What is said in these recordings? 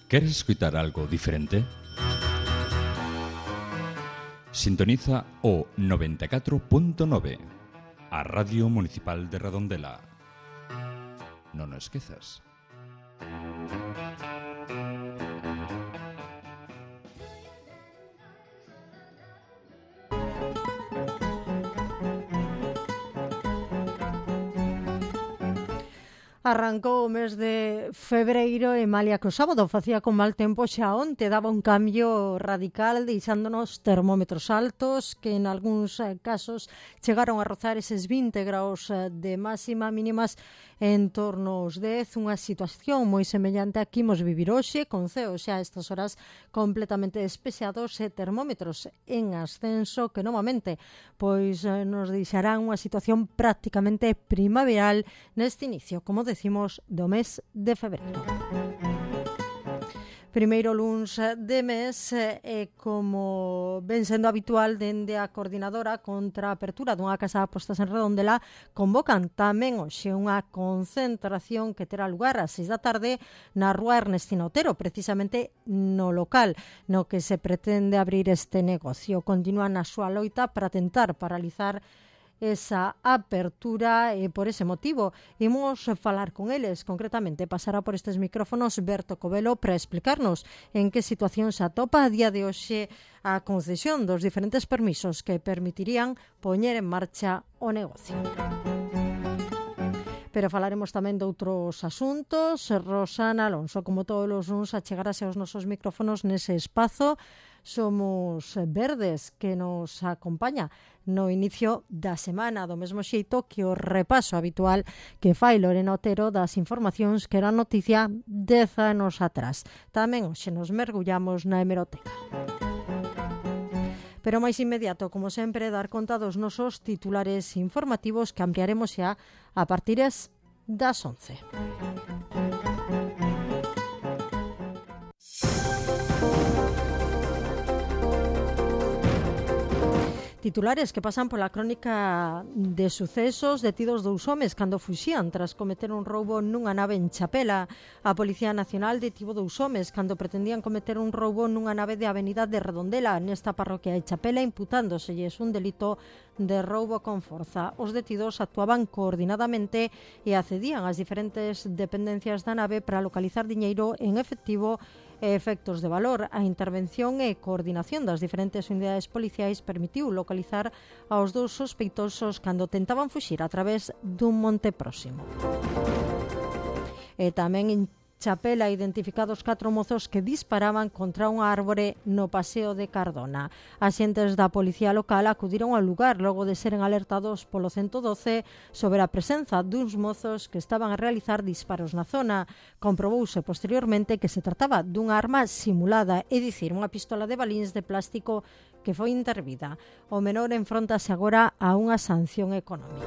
¿Queres escutar algo diferente? Sintoniza o 94.9, a Radio Municipal de Redondela. Non o esquezas. Arrancou o mes de febreiro e malia que o sábado facía con mal tempo, xa onte daba un cambio radical, deixándonos termómetros altos que en algúns casos chegaron a rozar eses 20 graus de máxima, mínimas en torno aos 10, unha situación moi semellante a que imos vivir hoxe, con ceos xa a estas horas completamente despexados e termómetros en ascenso que novamente pois nos deixarán unha situación prácticamente primaveral neste inicio, como decimos, do mes de febreiro. Primeiro luns de mes e como ven sendo habitual dende a coordinadora contra a apertura dunha casa de apostas en Redondela, convocan tamén hoxe unha concentración que terá lugar ás 6 da tarde na rúa Ernestina Otero, precisamente no local no que se pretende abrir este negocio. Continúan na súa loita para tentar paralizar esa apertura e por ese motivo imos falar con eles, concretamente pasará por estes micrófonos Berto Covelo para explicarnos en que situación se atopa a día de hoxe a concesión dos diferentes permisos que permitirían poñer en marcha o negocio. Pero falaremos tamén de outros asuntos. Rosana Alonso, como todos os luns, achegarase aos nosos micrófonos nese espazo. Somos Verdes, que nos acompaña no inicio da semana, do mesmo xeito que o repaso habitual que fai Lorena Otero das informacións que eran noticia 10 anos atrás. Tamén hoxe nos mergullamos na hemeroteca. Pero máis inmediato, como sempre, dar conta dos nosos titulares informativos que ampliaremos xa a partir das 11. Titulares que pasan pola crónica de sucesos. Detidos 2 homes cando fuxían tras cometer un roubo nunha nave en Chapela. A Policía Nacional detivo 2 homes cando pretendían cometer un roubo nunha nave de Avenida de Redondela nesta parroquia de Chapela, imputándoselles un delito de roubo con forza. Os detidos actuaban coordinadamente e accedían ás diferentes dependencias da nave para localizar diñeiro en efectivo e efectos de valor. A intervención e coordinación das diferentes unidades policiais permitiu localizar aos 2 sospeitosos cando tentaban fuxir a través dun monte próximo. E tamén en Chapela identificados 4 mozos que disparaban contra unha árbore no Paseo de Cardona. Axentes da Policía Local acudiron ao lugar logo de seren alertados polo 112 sobre a presenza duns mozos que estaban a realizar disparos na zona. Comprobouse posteriormente que se trataba dunha arma simulada, é dicir, unha pistola de balíns de plástico que foi intervida. O menor enfrontase agora a unha sanción económica.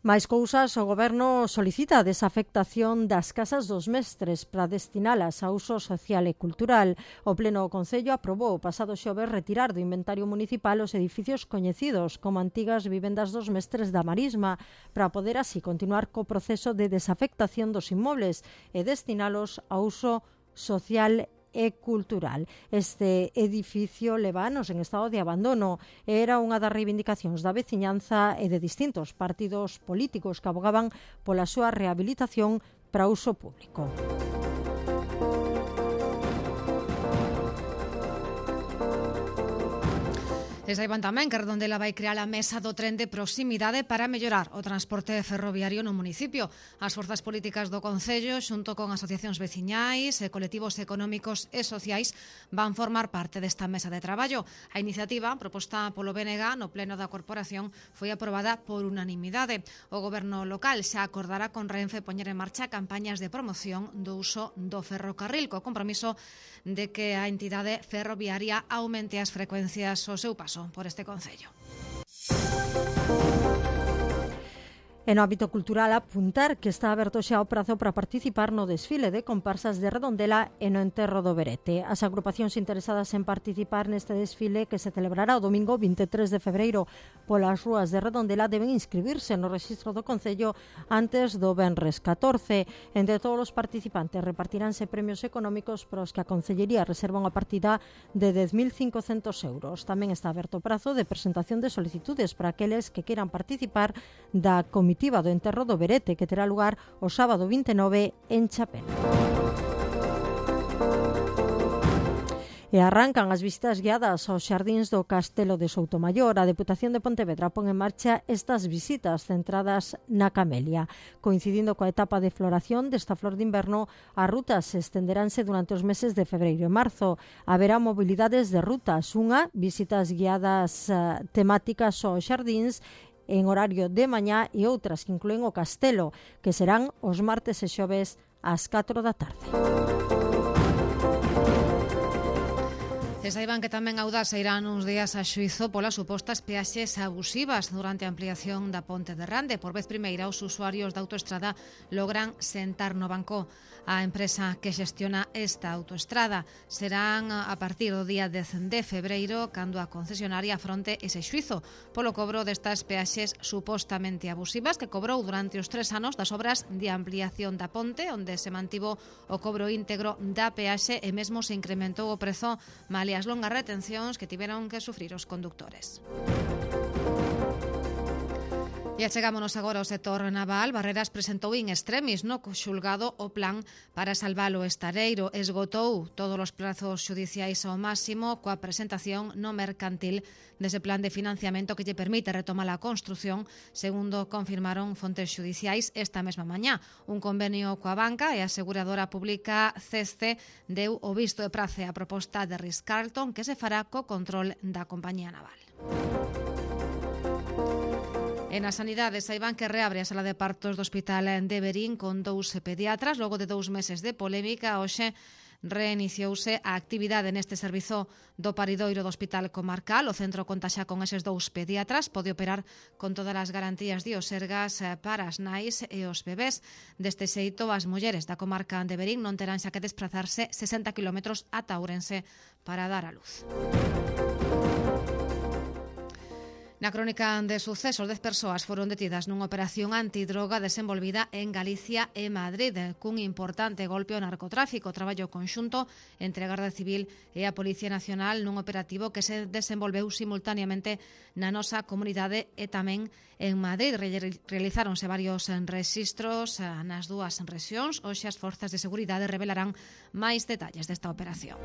Máis cousas, o Goberno solicita a desafectación das casas dos mestres para destinalas a uso social e cultural. O Pleno do Concello aprobou o pasado xoves retirar do inventario municipal os edificios coñecidos como antigas vivendas dos mestres da Marisma para poder así continuar co proceso de desafectación dos inmobles e destinalos a uso social e cultural. Este edificio leva anos en estado de abandono e era unha das reivindicacións da veciñanza e de distintos partidos políticos que abogaban pola súa rehabilitación para uso público. E saiban tamén que Redondela vai crear a mesa do tren de proximidade para mellorar o transporte ferroviario no municipio. As forzas políticas do Concello, xunto con asociacións veciñais e colectivos económicos e sociais, van formar parte desta mesa de traballo. A iniciativa, proposta polo BNG no pleno da corporación, foi aprobada por unanimidade. O goberno local xa acordará con Renfe poñer en marcha campañas de promoción do uso do ferrocarril, co compromiso de que a entidade ferroviaria aumente as frecuencias ao seu paso por este concello. E no ámbito cultural apuntar que está aberto xa o prazo para participar no desfile de comparsas de Redondela e no enterro do Berete. As agrupacións interesadas en participar neste desfile que se celebrará o domingo 23 de febreiro polas rúas de Redondela deben inscribirse no rexistro do Concello antes do venres 14. Entre todos os participantes repartiránse premios económicos para os que a Concellería reserva unha partida de 10.500 euros. Tamén está aberto o prazo de presentación de solicitudes para aqueles que queiran participar da comitiva do enterro do Berete, que terá lugar o sábado 29 en Chapela. E arrancan as visitas guiadas aos xardíns do Castelo de Soutomaior. A Deputación de Pontevedra pon en marcha estas visitas centradas na camelia. Coincidindo coa etapa de floración desta flor de inverno, as rutas estenderánse durante os meses de febreiro e marzo. Haberá mobilidades de rutas, visitas guiadas temáticas aos xardíns en horario de mañá e outras que incluen o Castelo, que serán os martes e xoves ás 4 da tarde. E saiban que tamén Audasa irán uns días a xuízo polas supostas peaxes abusivas durante a ampliación da ponte de Rande. Por vez primeira, os usuarios da autoestrada logran sentar no banco. A empresa que xestiona esta autoestrada serán a partir do día 10 de febreiro cando a concesionaria afronte ese xuízo polo cobro destas peaxes supostamente abusivas que cobrou durante os 3 anos das obras de ampliación da ponte, onde se mantivo o cobro íntegro da peaxe e mesmo se incrementou o prezo malia as longas retencións que tiveron que sufrir os condutores. E achegámonos agora ao sector naval. Barreras presentou in extremis no xulgado o plan para salvar o estareiro. Esgotou todos os prazos xudiciais ao máximo coa presentación no mercantil dese plan de financiamento que lle permite retomar a construción, segundo confirmaron fontes xudiciais esta mesma mañá. Un convenio coa banca e a aseguradora pública CESCE deu o visto de prace a proposta de Ritz-Carlton que se fará co control da compañía naval. E na sanidade, saiban que reabre a sala de partos do Hospital de Verín con 2 pediatras. Logo de 2 meses de polémica, hoxe reiniciouse a actividade neste servizo do paridoiro do Hospital Comarcal. O centro conta xa con eses 2 pediatras, pode operar con todas as garantías de Osergas para as nais e os bebés. Deste xeito, as mulleres da comarca de Verín non terán xa que desplazarse 60 km ata Ourense para dar a luz. Na crónica de sucesos, 10 persoas foron detidas nunha operación antidroga desenvolvida en Galicia e Madrid, cun importante golpe ao narcotráfico. Traballo conxunto entre a Garda Civil e a Policía Nacional nun operativo que se desenvolveu simultaneamente na nosa comunidade e tamén en Madrid. Realizáronse varios rexistros nas dúas rexións. Hoxe as forzas de seguridade revelarán máis detalles desta operación.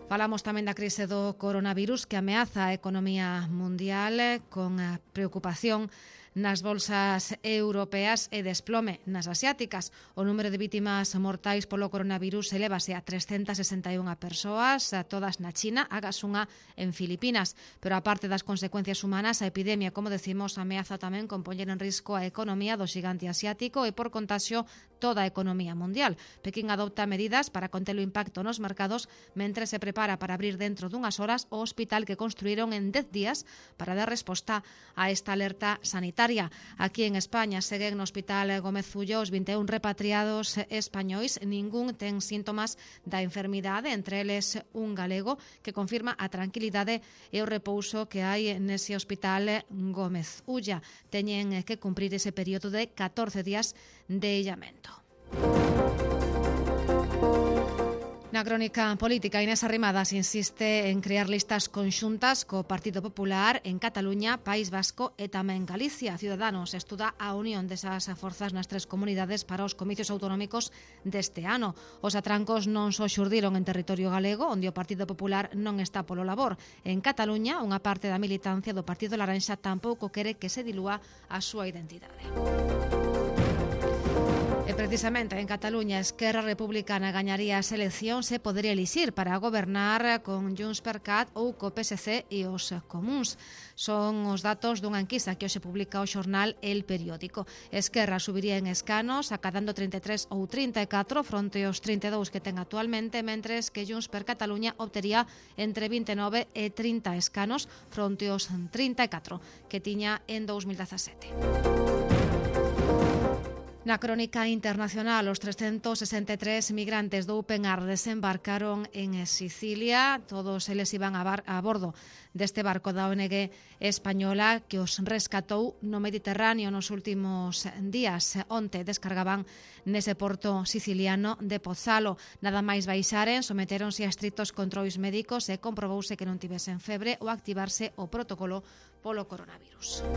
Falamos tamén da crise do coronavirus que ameaza a economía mundial con a preocupación nas bolsas europeas e desplome nas asiáticas. O número de vítimas mortais polo coronavirus elevase a 361 persoas, todas na China, agás unha en Filipinas. Pero aparte das consecuencias humanas, a epidemia, como decimos, ameaza tamén con poñer en risco a economía do xigante asiático e por contaxio toda a economía mundial. Pekín adopta medidas para conter o impacto nos mercados mentre se prepara para abrir dentro dunhas horas o hospital que construíron en 10 días para dar resposta a esta alerta sanitaria. Aquí en España seguen no Hospital Gómez Ullo os 21 repatriados españois. Ningún ten síntomas da enfermidade, entre eles un galego que confirma a tranquilidade e o repouso que hai nese Hospital Gómez Ullo. Teñen que cumprir ese período de 14 días de illamento. Na crónica política, Inés Arrimadas insiste en crear listas conxuntas co Partido Popular en Cataluña, País Vasco e tamén Galicia. Ciudadanos estuda a unión desas forzas nas 3 comunidades para os comicios autonómicos deste ano. Os atrancos non só xurdiron en territorio galego, onde o Partido Popular non está polo labor. En Cataluña, unha parte da militancia do Partido Laranxa tampouco quere que se dilúa a súa identidade. E E precisamente en Cataluña, Esquerra Republicana gañaría as eleccións e podería elixir para gobernar con Junts per Cat ou co PSC e os comuns. Son os datos dunha enquisa que hoxe publica o xornal El Periódico. Esquerra subiría en escanos, acadando 33 ou 34 fronte aos 32 que ten actualmente, mentres que Junts per Cataluña obtería entre 29 e 30 escanos fronte aos 34 que tiña en 2017. Na crónica internacional, os 363 migrantes do Open Arms desembarcaron en Sicilia. Todos eles iban a bordo deste barco da ONG española que os rescatou no Mediterráneo nos últimos días. Onte descargaban nese porto siciliano de Pozzalo. Nada máis baixaren, sometéronse a estrictos controis médicos e comprobouse que non tivesen febre ou activarse o protocolo polo coronavirus.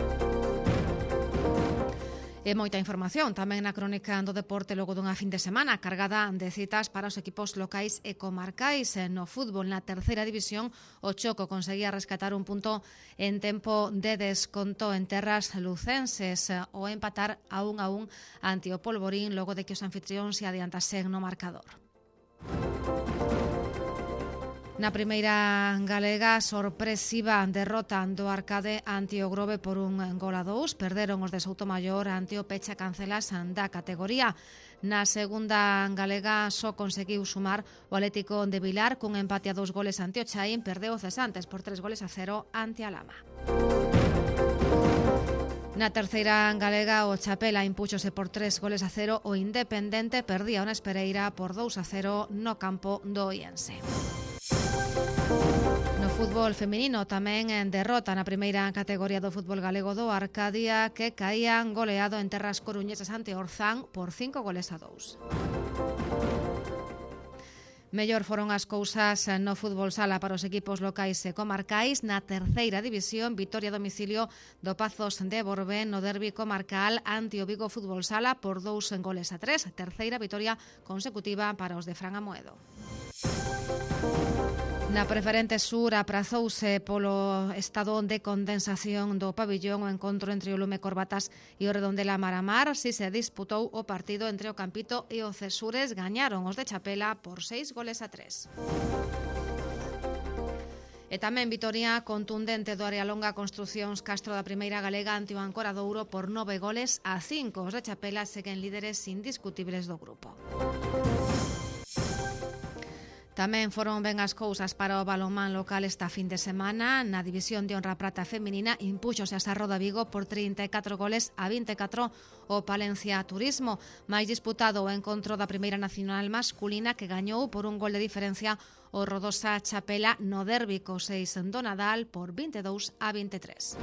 E moita información tamén na crónica do deporte logo dunha fin de semana cargada de citas para os equipos locais e comarcais. No fútbol, na terceira división, o Choco conseguía rescatar un punto en tempo de desconto en terras lucenses o empatar a 1-1 ante o Polvorín logo de que os anfitrións se adiantasen no marcador. Na primeira galega, sorpresiva derrota do Arcade ante o Grove por 1-2. Perderon os de Soutomaior ante o Pecha Cancelas da categoría. Na segunda galega só conseguiu sumar o Atlético de Vilar cun empate a 2 goles ante o Chaín. Perdeu o Cesantes por 3-0 ante a Lama. Na terceira galega, o Chapela impúxose por 3-0. O Independente perdía o Nespereira por 2-0 no campo do Oiense. No fútbol feminino tamén en derrota na primeira categoría do fútbol galego do Arcadia, que caían goleado en terras coruñesas ante Orzán por 5-2. Mellor foron as cousas no fútbol sala para os equipos locais e comarcais. Na terceira división, vitoria a domicilio do Pazos de Borbén no derbi comarcal ante o Vigo Fútbol Sala por 2-3. Terceira vitoria consecutiva para os de Fran Amoedo. Na preferente sur aprazouse polo estado de condensación do pabillón o encontro entre o Lume Corbatas e o Redondela Maramar. Si se disputou o partido entre o Campito e o Cesures, gañaron os de Chapela por 6-3. E tamén vitoria contundente do Arealonga Construcións Castro da primeira galega ante o Ancoradouro por 9-5. Os de Chapela seguen líderes indiscutibles do grupo. Tamén foron ben as cousas para o balonmán local esta fin de semana. Na división de honra prata feminina impúxose a Sarroda Vigo por 34-24 o Palencia Turismo. Mais disputado o encontro da primeira nacional masculina que gañou por 1 gol de diferencia o Rodosa Chapela no derbi co 6 do Nadal por 22-23.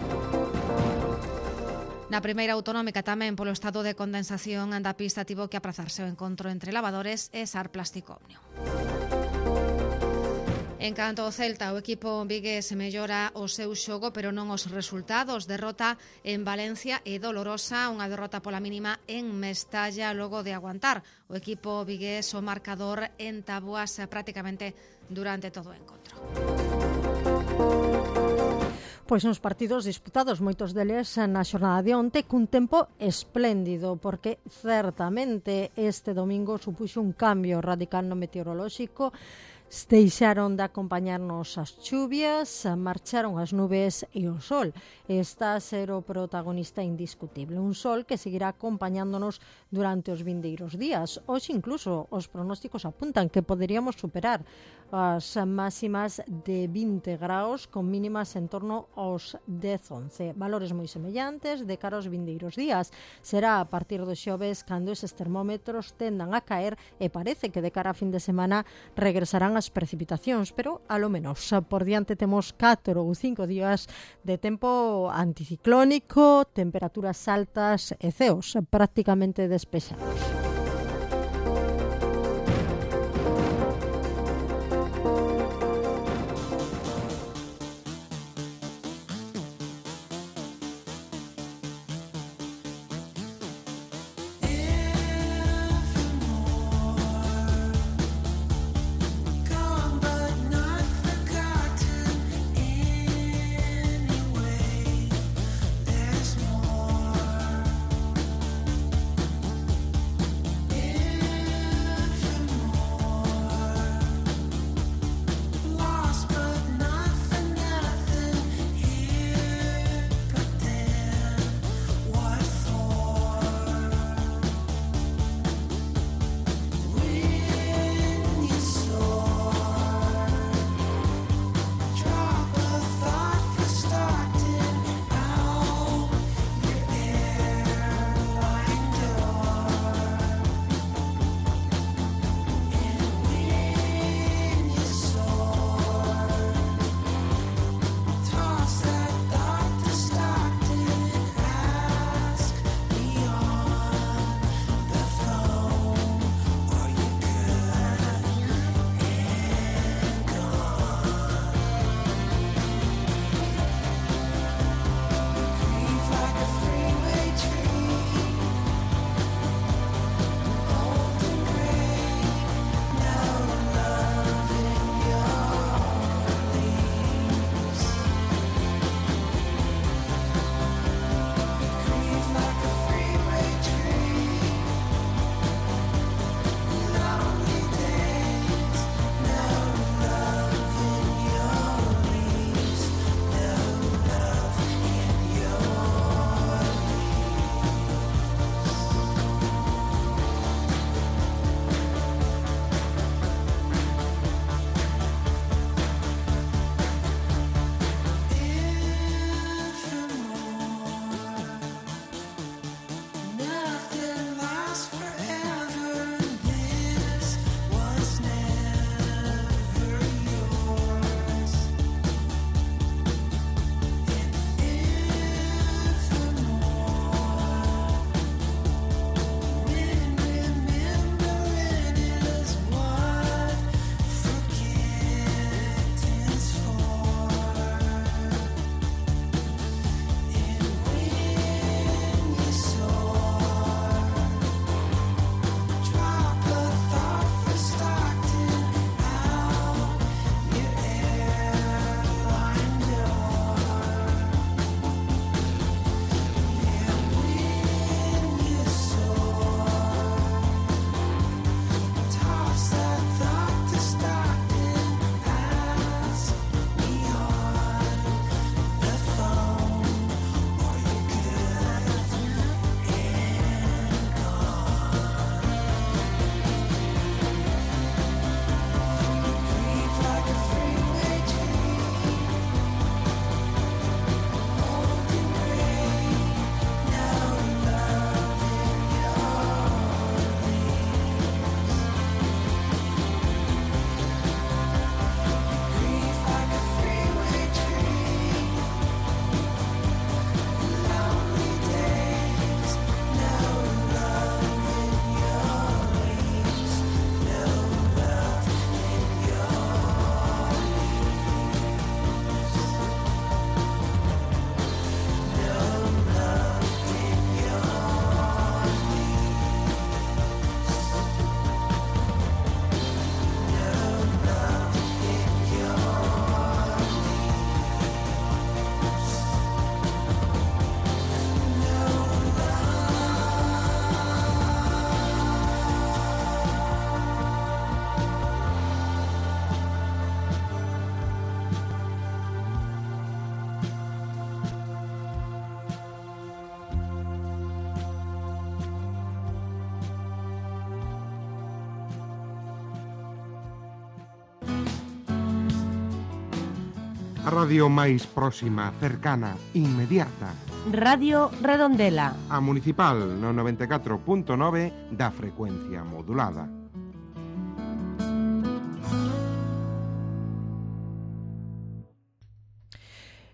Na primeira autonómica tamén polo estado de condensación da pista tivo que aprazarse o encontro entre Lavadores e Sar Plasticomnio. En canto ao Celta, o equipo vigués mellora o seu xogo, pero non os resultados. Derrota en Valencia e dolorosa, unha derrota pola mínima en Mestalla logo de aguantar o equipo vigués o marcador en táboas prácticamente durante todo o encontro. Pois uns partidos disputados, moitos deles na xornada de onte, cun tempo espléndido, porque certamente este domingo supuxo un cambio radical no meteorolóxico. Deixaron de acompañarnos as chuvias, marcharon as nubes e o sol. Está a ser o protagonista indiscutible. Un sol que seguirá acompañándonos durante os vindeiros días. Hoxe incluso os pronósticos apuntan que poderíamos superar as máximas de 20 graus con mínimas en torno aos 10-11. Valores moi semellantes de cara aos vindeiros días. Será a partir do xoves cando eses termómetros tendan a caer e parece que de cara a fin de semana regresarán as precipitacións, pero a lo menos por diante temos 4 ou 5 días de tempo anticiclónico, temperaturas altas e ceos prácticamente despexados. A radio máis próxima, cercana, inmediata. Radio Redondela. A Municipal no 94.9 da frecuencia modulada.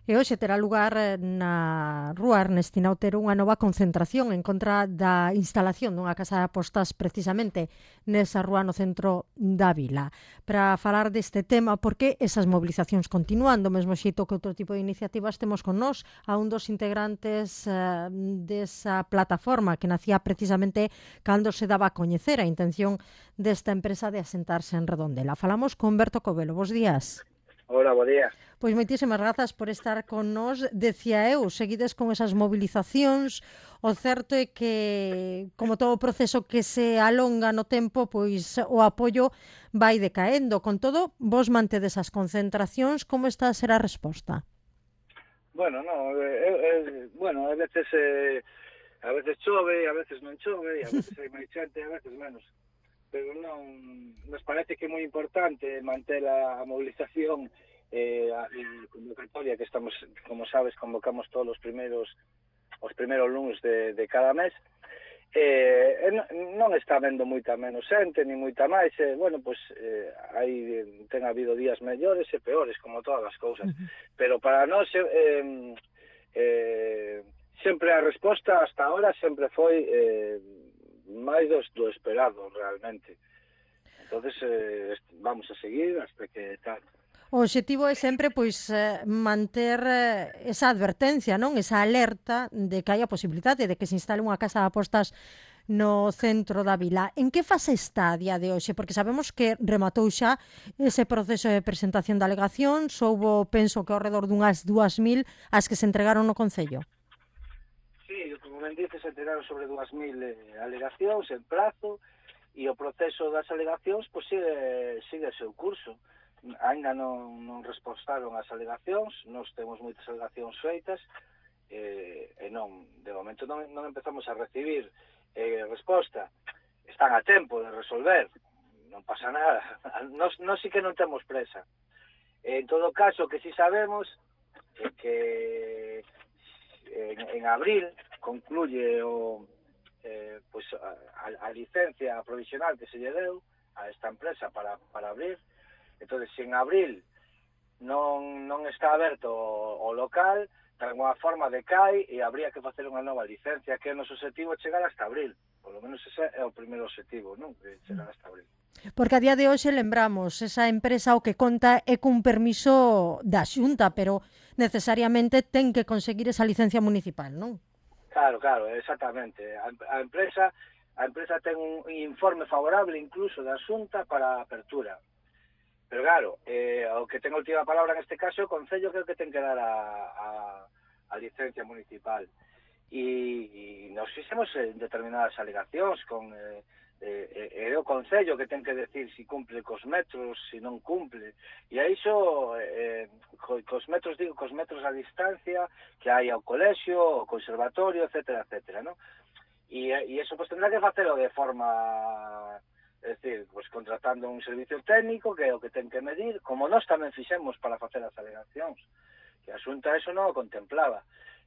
E hoxe terá lugar na Rúa Ernestina Otero unha nova concentración en contra da instalación dunha casa de apostas precisamente nesa rúa no centro da vila. Para falar deste tema, porque esas movilizacións continúan do mesmo xeito que outro tipo de iniciativas, temos con nós a un dos integrantes desa plataforma que nacía precisamente cando se daba a coñecer a intención desta empresa de asentarse en Redondela. Falamos con Berto Covelo. Bos días. Hola, bo día. Pois moitísimas grazas por estar con nós. Decía eu, seguides con esas movilizacións. O certo é que, como todo o proceso que se alonga no tempo, pois o apoio vai decaendo. Con todo, vos mantedes as concentracións. Como está a ser a resposta? Bueno, no, bueno, a veces chove, a veces non chove, a veces hai máis xente, a veces menos. Pero non, nos parece que é moi importante manter a movilización a convocatoria que estamos, como sabes, convocamos todos os primeros lunes de cada mes. Non está vendo moita menos xente, ni moita máis. Bueno, pois ten habido días mellores e peores, como todas as cousas. Pero para nós sempre a resposta hasta ahora sempre foi máis do esperado, realmente. Entonces vamos a seguir hasta que tal. O obxectivo é sempre pois manter esa advertencia, non? Esa alerta de que hai a posibilidade de que se instale unha casa de apostas no centro da vila. En que fase está a día de hoxe? Porque sabemos que rematou xa ese proceso de presentación de alegacións, houbo, penso que ao redor dunhas 2.000 as que se entregaron no Concello. Sí, como ben dices, se entregaron sobre 2.000 alegacións en prazo, e o proceso das alegacións pois sigue o seu curso. Ainda non respostaron as alegacións, nós temos moitas alegacións feitas, e non, de momento non empezamos a recibir resposta. Están a tempo de resolver, non pasa nada. Nós sí que non temos presa. En todo caso, que sí sabemos é que en abril concluye pois a licencia provisional que se lle deu a esta empresa para abrir. Entonces, se en abril non está aberto o local, de alguma forma decai e habría que facer unha nova licencia, que o noso objetivo é chegar hasta abril. Por lo menos ese é o primeiro objetivo, non? De chegar hasta abril. Porque a día de hoxe, lembramos, esa empresa o que conta é cun permiso da Xunta, pero necesariamente ten que conseguir esa licencia municipal, non? Claro, exactamente. A empresa ten un informe favorable incluso da Xunta para a apertura. Pero claro, o que ten a última palabra neste caso, o Concello creo que ten que dar a licencia municipal. E nos fixemos determinadas alegacións con o Concello que ten que decir se cumple cos metros, se non cumple. E a iso, cos metros a distancia que hai ao colexio, ao conservatorio, etcétera, non? E iso pues tendrá que facelo de forma... É dicir, pues, contratando un servicio técnico que é o que ten que medir, como nós tamén fixemos para facer as alegacións, que a Xunta eso non o contemplaba.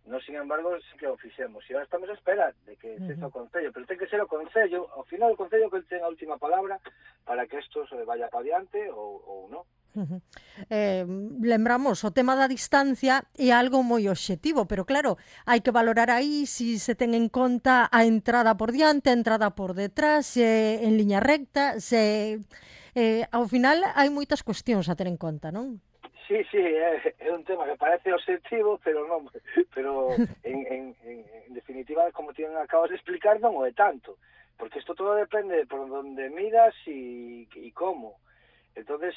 Nós, sin embargo, sí que o fixemos. E agora estamos a espera de que sexa o Concello, pero ten que ser o Concello, ao final o Concello que ten a última palabra para que isto se vaya para diante ou non. Lembramos, o tema da distancia é algo moi obxectivo, pero claro, hai que valorar aí se ten en conta a entrada por diante, a entrada por detrás, en liña recta, ao final hai moitas cuestións a ter en conta, non? Sí, é un tema que parece obxectivo, pero non, pero en definitiva, como ti acabas de explicar, non o é tanto, porque isto todo depende por onde miras e como. Entonces,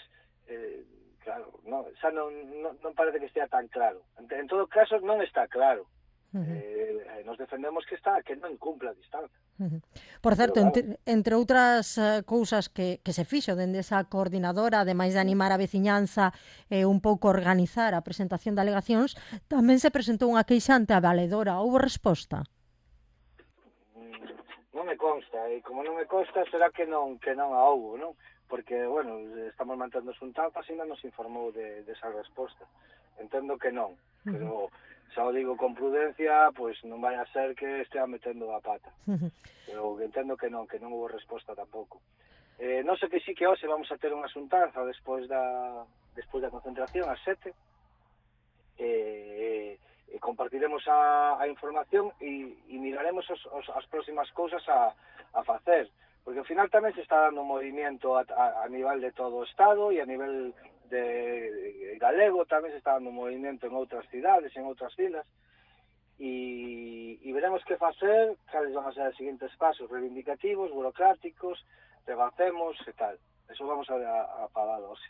claro, non parece que estea tan claro. En todo caso, non está claro. Nos defendemos que non incumpla a distancia. Por certo, entre outras cousas que se fixo dende esa coordinadora, ademais de animar a veciñanza e un pouco organizar a presentación de alegacións, tamén se presentou unha queixa ante a valedora. Houbo resposta? Non me consta, e como non me consta, será que non a houbo, non? Porque, bueno, estamos mantendo xuntanzas e ainda nos informou desa resposta. entendo que non, pero xa o digo con prudencia, pois non vai a ser que estea metendo a pata. Pero entendo que non houve resposta tampouco. Non sei que sí que hoxe vamos a ter unha xuntanza despois da concentración ás 7, e compartiremos a información e miraremos as próximas cousas a facer, porque ao final tamén se está dando un movimento a nivel de todo o Estado e a nivel de galego tamén se está dando un movimento en outras cidades, en outras vilas, e veremos que facer, cales van a ser os seguintes pasos reivindicativos, burocráticos, rebacemos e tal. Eso vamos a falar hoxe.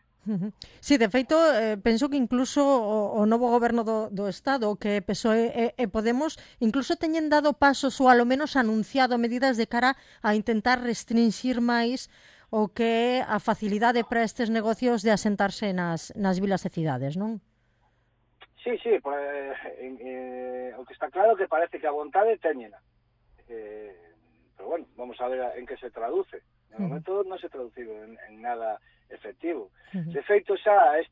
Sí, de feito, penso que incluso o novo goberno do Estado, que PSOE e Podemos, incluso teñen dado pasos ou alo menos anunciado medidas de cara a intentar restringir máis o que é a facilidade para estes negocios de asentarse nas vilas e cidades, non? Sí, o que está claro que parece que a vontade teñena. Pero bueno, vamos a ver en que se traduce. De momento non se traducido en nada efectivo. De feito, xa hai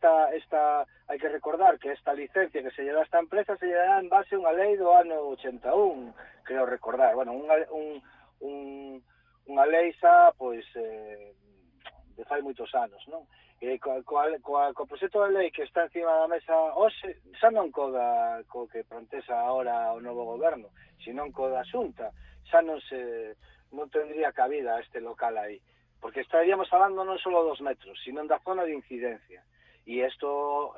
que recordar que esta licencia que se lle dá a esta empresa se lle dá en base a unha lei do ano 81, creo recordar. Bueno, unha lei xa, pois, de fai moitos anos, non? E co proxecto de lei que está encima da mesa hoxe, xa non co que plantesa agora o novo goberno, sino co da Xunta, xa non tendría cabida este local aí, porque estaríamos falando non só 2 metros, sino da zona de incidencia. E isto,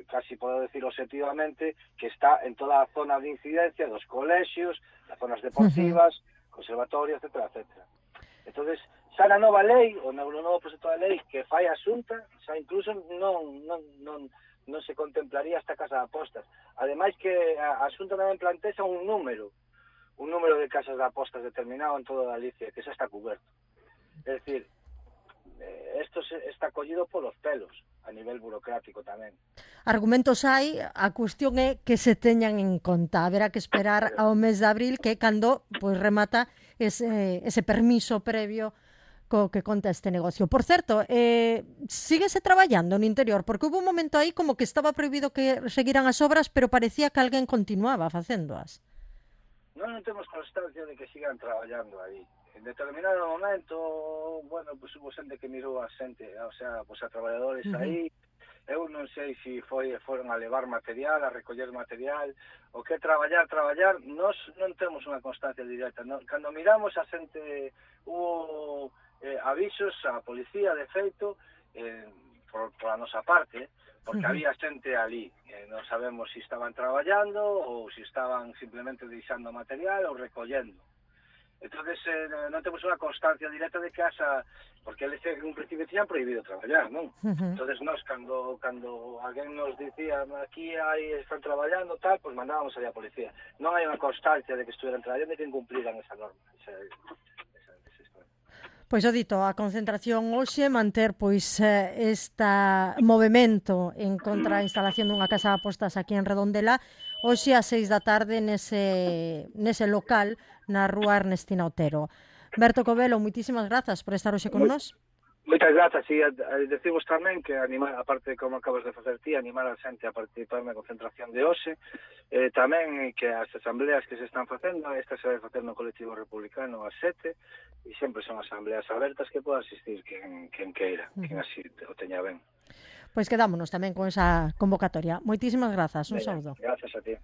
casi podo decir objetivamente, que está en toda a zona de incidencia dos colexios, das zonas deportivas, conservatorios, etcétera, etcétera. Entonces, xa na nova lei, o novo proxecto de lei que fai a Xunta, xa incluso non se contemplaría esta casa de apostas. Ademais que a Xunta tamén plantea un número de casas de apostas determinado en toda Galicia, que xa está coberto. É dicir, isto está collido polos pelos, a nivel burocrático tamén. Argumentos hai, a cuestión é que se teñan en conta. Haberá que esperar ao mes de abril, que é cando remata ese permiso previo co que conta este negocio. Por certo, síguese traballando no interior, porque hubo un momento aí como que estaba prohibido que seguiran as obras, pero parecía que alguén continuaba facéndoas. Non temos constancia de que sigan traballando aí. En determinado momento, bueno, pues hubo xente que mirou a xente, o sea, pues a traballadores aí. Eu non sei se foron a levar material, a recoller material, o que traballar, nós non temos unha constancia directa. Cando miramos a xente, hubo avisos á policía, de feito, por a nosa parte, porque había xente ali. Non sabemos se estaban traballando ou se estaban simplemente deixando material ou recollendo. Entonces, non temos unha constancia directa de que porque eles en un principio tiñan prohibido traballar, non? Entonces, nós, cando alguén nos dicía aquí están traballando, tal, pues mandábamos ali a policía. Non hai unha constancia de que estuvieran traballando e que incumpliran esa norma. Pois o dito, a concentración hoxe manter este movimento en contra a instalación dunha casa de apostas aquí en Redondela hoxe ás 6 da tarde nese local na rúa Ernestina Otero. Berto Covelo, moitísimas grazas por estar hoxe con nós. Moitas grazas, e decimos tamén que animar, aparte de como acabas de facer ti, animar a xente a participar na concentración de hoxe, tamén que as asambleas que se están facendo, esta se vai facer no colectivo republicano ás 7, e sempre son asambleas abertas que poda asistir quen queira, quen así o teña ben. Pois quedámonos tamén con esa convocatoria. Moitísimas grazas, un saúdo. Grazas a ti.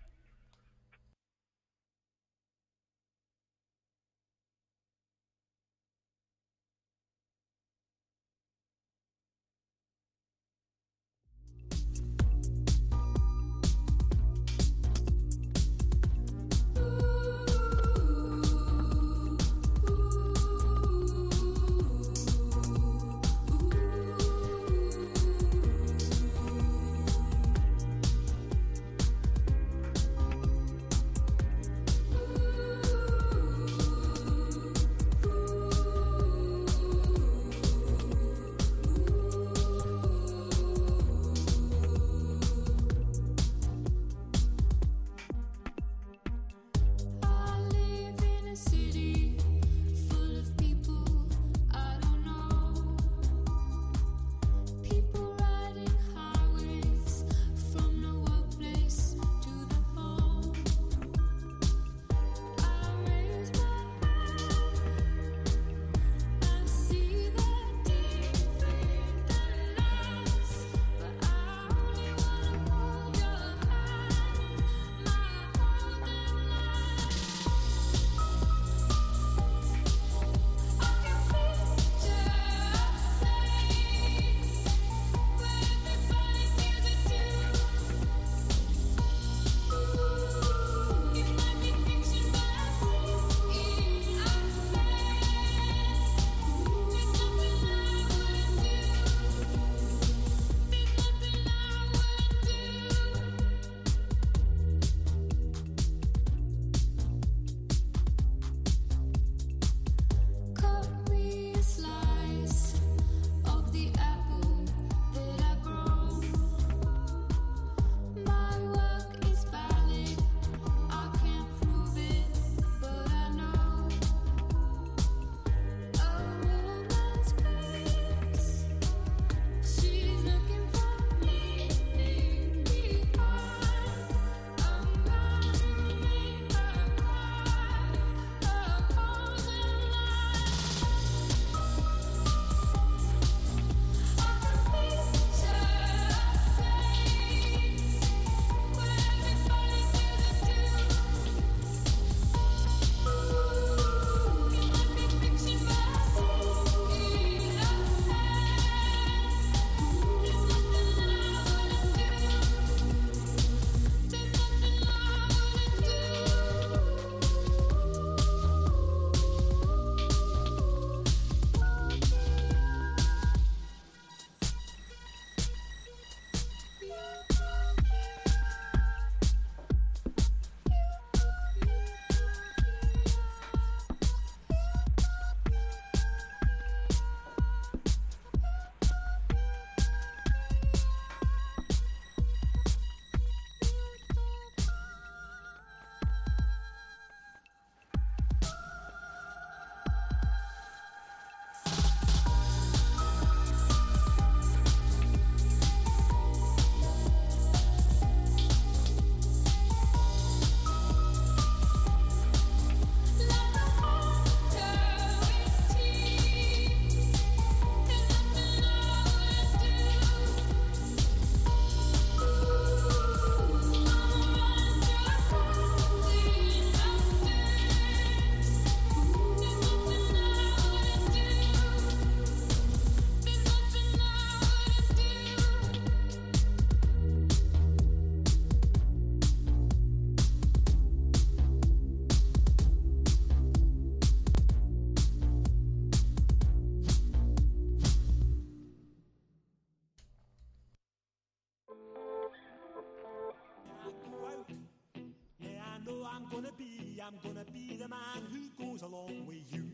I'm gonna be the man who goes along with you.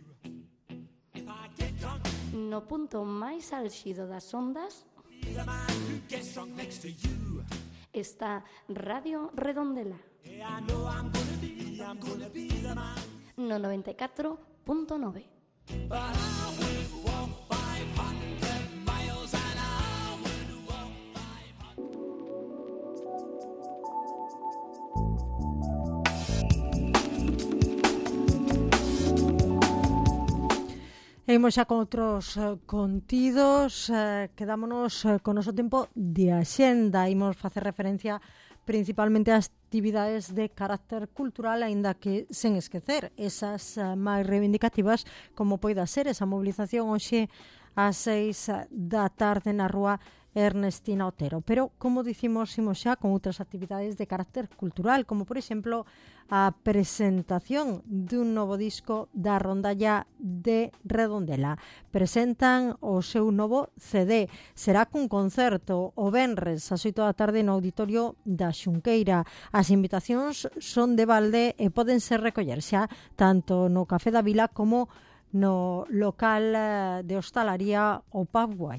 If I get drunk, no punto máis álxido das ondas, be the man who gets drunk next to you. Está Radio Redondela. Yeah, I know I'm gonna be the man. No 94.9. But I would walk 500 miles and I would walk 500. Imos xa con outros contidos, quedámonos con o noso tempo de axenda. Imos facer referencia principalmente ás actividades de carácter cultural, aínda que sen esquecer esas máis reivindicativas, como poida ser esa mobilización hoxe ás 6 da tarde na rúa Ernestina Otero. Pero, como dicimos, imos xa con outras actividades de carácter cultural, como, por exemplo, a presentación dun novo disco da rondalla de Redondela. Presentan o seu novo CD. Será cun concerto o venres ás 8 da tarde no auditorio da Xunqueira. As invitacións son de balde e poden ser recoller xa tanto no Café da Vila como no local de hostalaría o Pub Guai.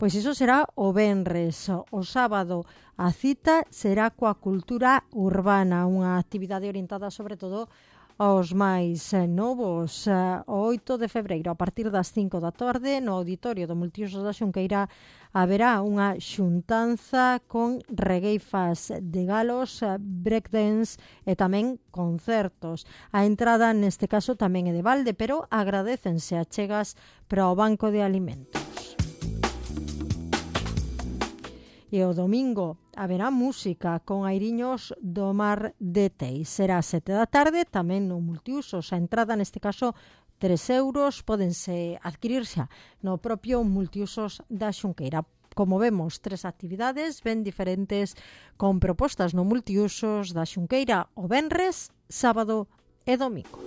Pois iso será o venres. O sábado a cita será coa cultura urbana, unha actividade orientada sobre todo aos máis novos. O 8 de febreiro, a partir das 5 da tarde, no auditorio do Multiusos da Xunqueira, haberá unha xuntanza con regueifas de galos, breakdance e tamén concertos. A entrada neste caso tamén é de balde, pero agradécense achegas para o Banco de Alimentos. E o domingo haberá música con airiños do Mar de Teis. Será 7 da tarde, tamén no Multiusos. A entrada, neste caso, 3 euros, pódense adquirir xa no propio Multiusos da Xunqueira. Como vemos, 3 actividades ben diferentes con propostas no Multiusos da Xunqueira o venres, sábado e domingo.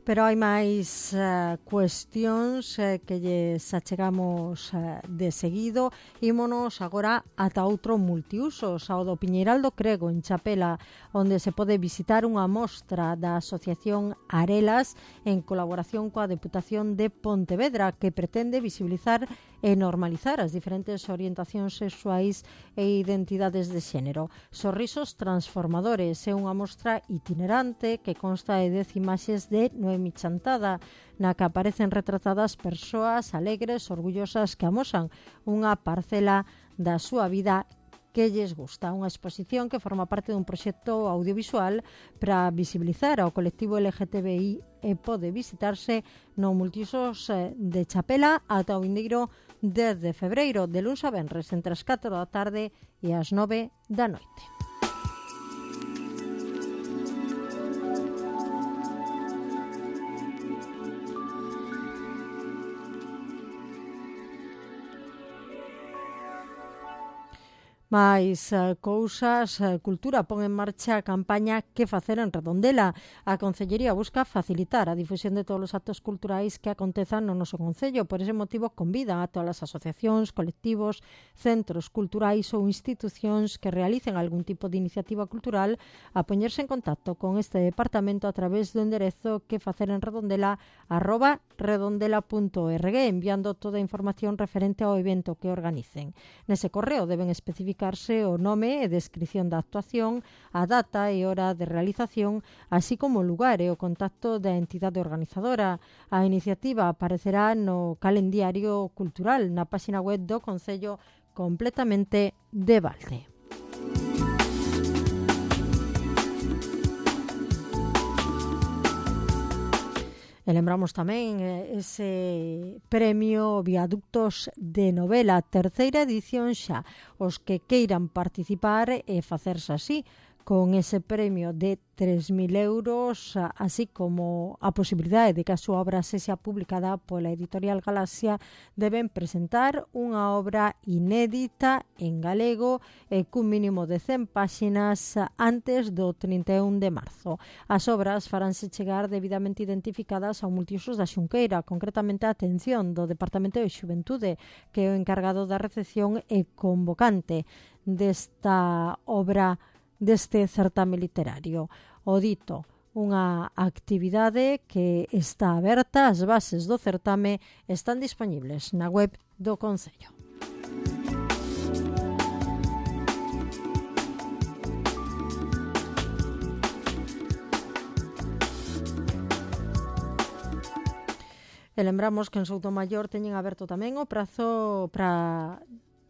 Pero hai máis cuestións que lles achegamos de seguido. Ímonos agora ata outro Multiusos, ao do Piñeiral do Crego, en Chapela, onde se pode visitar unha mostra da Asociación Arelas en colaboración coa Deputación de Pontevedra, que pretende visibilizar e normalizar as diferentes orientacións sexuais e identidades de xénero. Sorrisos transformadores é unha mostra itinerante que consta de 10 imaxes de Noemi Chantada, na que aparecen retratadas persoas alegres, orgullosas, que amosan unha parcela da súa vida que lles gusta. Unha exposición que forma parte dun proxecto audiovisual para visibilizar ao colectivo LGTBI e pode visitarse no Multiusos de Chapela ata o vindeiro 10 de febreiro, de luns a venres, entre as 4 da tarde e as 9 da noite. Mais cousas, Cultura pon en marcha a campaña Que facer en Redondela. A Concellería busca facilitar a difusión de todos os actos culturais que acontezan no noso concello. Por ese motivo convida a todas as asociacións, colectivos, centros culturais ou institucións que realicen algún tipo de iniciativa cultural a poñerse en contacto con este departamento a través do enderezo quefacerenredondela@redondela.org, enviando toda a información referente ao evento que organicen. Nese correo deben especificar o nome e descripción da actuación, a data e hora de realización, así como o lugar e o contacto da entidade organizadora. A iniciativa aparecerá no calendario cultural na página web do Concello completamente de balde. E lembramos tamén ese premio Viaductos de Novela, terceira edición xa. Os que queiran participar e facerse así con ese premio de 3.000 euros, así como a posibilidade de que a súa obra sexa publicada pola editorial Galaxia, deben presentar unha obra inédita en galego e cun mínimo de 100 páxinas antes do 31 de marzo. As obras faránse chegar debidamente identificadas ao multiusos da Xunqueira, concretamente a atención do Departamento de Xuventude, que é o encargado da recepción e convocante desta obra, deste certame literario. O dito, unha actividade que está aberta, as bases do certame están dispoñibles na web do Concello. E lembramos que en Soutomaior teñen aberto tamén o prazo para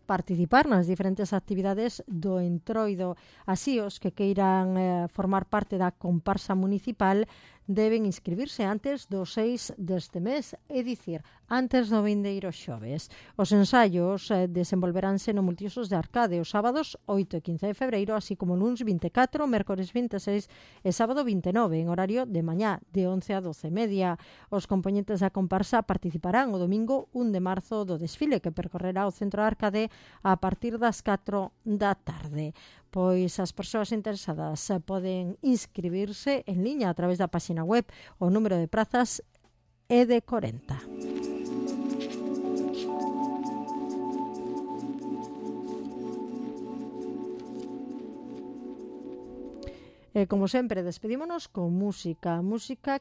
participar nas diferentes actividades do Entroido. Así, os que queiran formar parte da comparsa municipal deben inscribirse antes do 6 deste mes, é dicir, antes do vindeiro xoves. Os ensaios desenvolveránse no multiusos de Arcade os sábados 8 e 15 de febreiro, así como luns 24, mércores 26 e sábado 29, en horario de mañá, de 11 a 12:30. Os componentes da comparsa participarán o domingo 1 de marzo do desfile que percorrerá o centro de Arcade a partir das 4 da tarde. Pois as persoas interesadas poden inscribirse en liña a través da página web. O número de prazas é de 40. E, como sempre, despedímonos con música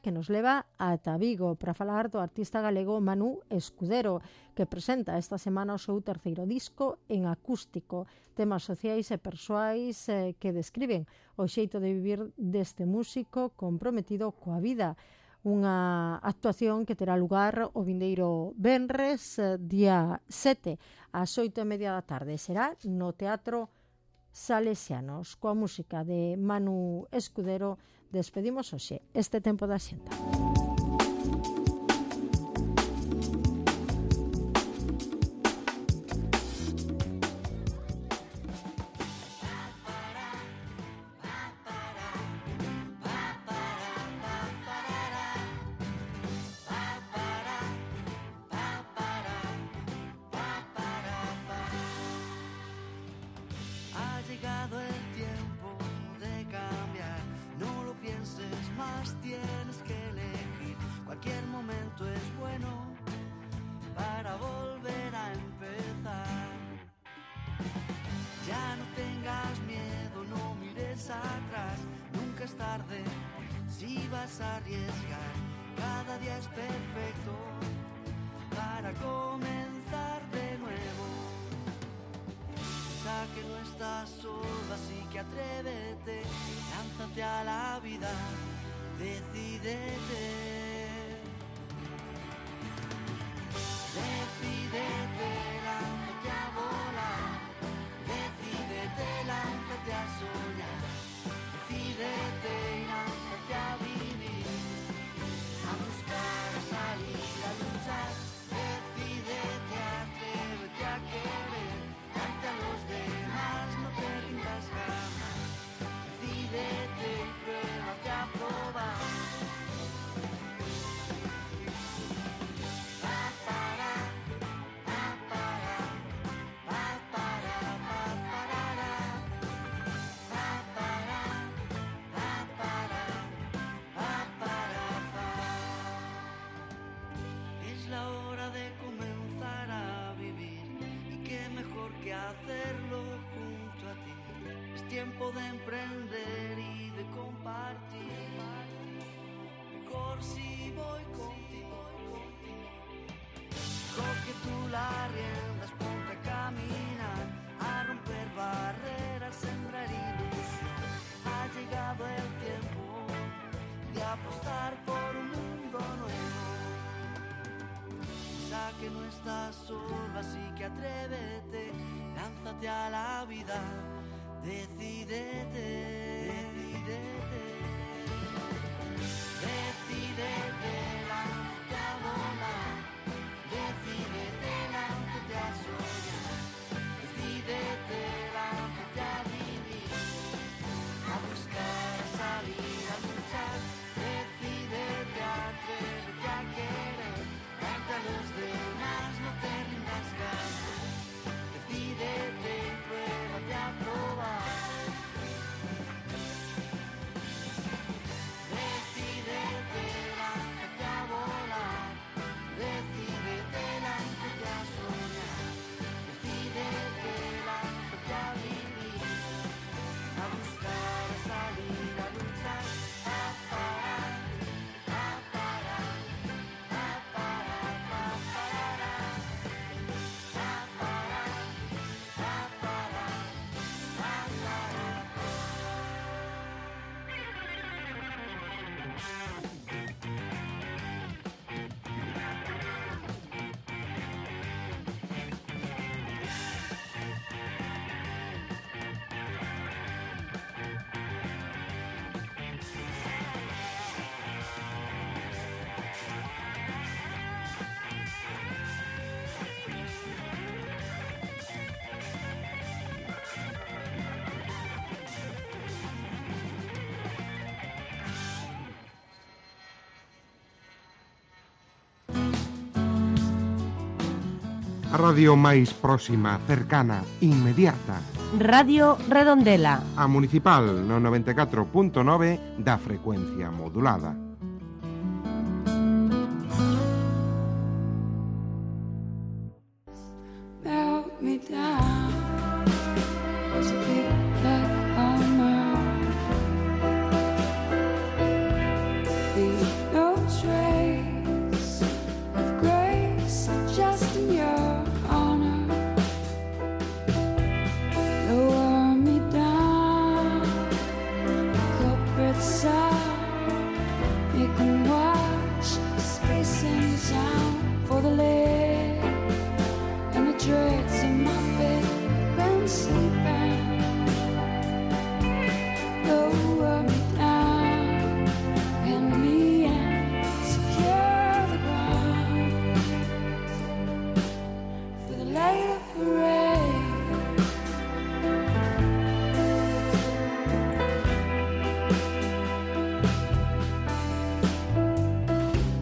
que nos leva ata Vigo para falar do artista galego Manu Escudero, que presenta esta semana o seu terceiro disco en acústico, temas sociais e persoais que describen o xeito de vivir deste músico comprometido coa vida. Unha actuación que terá lugar o vindeiro venres, día 7, ás 8:30 da tarde. Será no Teatro Salesianos. Coa música de Manu Escudero despedimos hoxe este tempo da xenta. Tienes que elegir, cualquier momento es bueno para volver a empezar. Ya no tengas miedo, no mires atrás, nunca es tarde si vas a arriesgar. Cada día es perfecto para comenzar de nuevo. Piensa que no estás solo, así que atrévete, lánzate a la vida. Decídete, decídete, lánzate a volar, decídete, lánzate a soñar, decídete y lánzate a vivir, a buscar, a salir, a luchar, decídete, atrévete a querer, darte a los demás, no te rindas jamás, decídete y pruébate a probar. Es la hora de comenzar a vivir y qué mejor que hacerlo junto a ti. Es tiempo de emprender y de compartir. Mejor si voy contigo. Coge tú las riendas, ponte a caminar, a romper barreras, sembrar ilusión. Ha llegado el tiempo de apostar por un mundo nuevo. Piensa que no estás solo, así que atrévete, lánzate a la vida. Decídete, decídete, decídete, lánzate a volar, decídete, lánzate a soñar, decídete, lánzate a vivir, a A radio máis próxima, cercana, inmediata. Radio Redondela. A Municipal no 94.9 da frecuencia modulada. Melt me down to be back on my leave no trace of grace, just in your honor. Lower me down, corporate side, make me watch space and sound for the lid and the dregs in my bed been sleeping. Lower me down, pin me in, secure the ground for the later parade.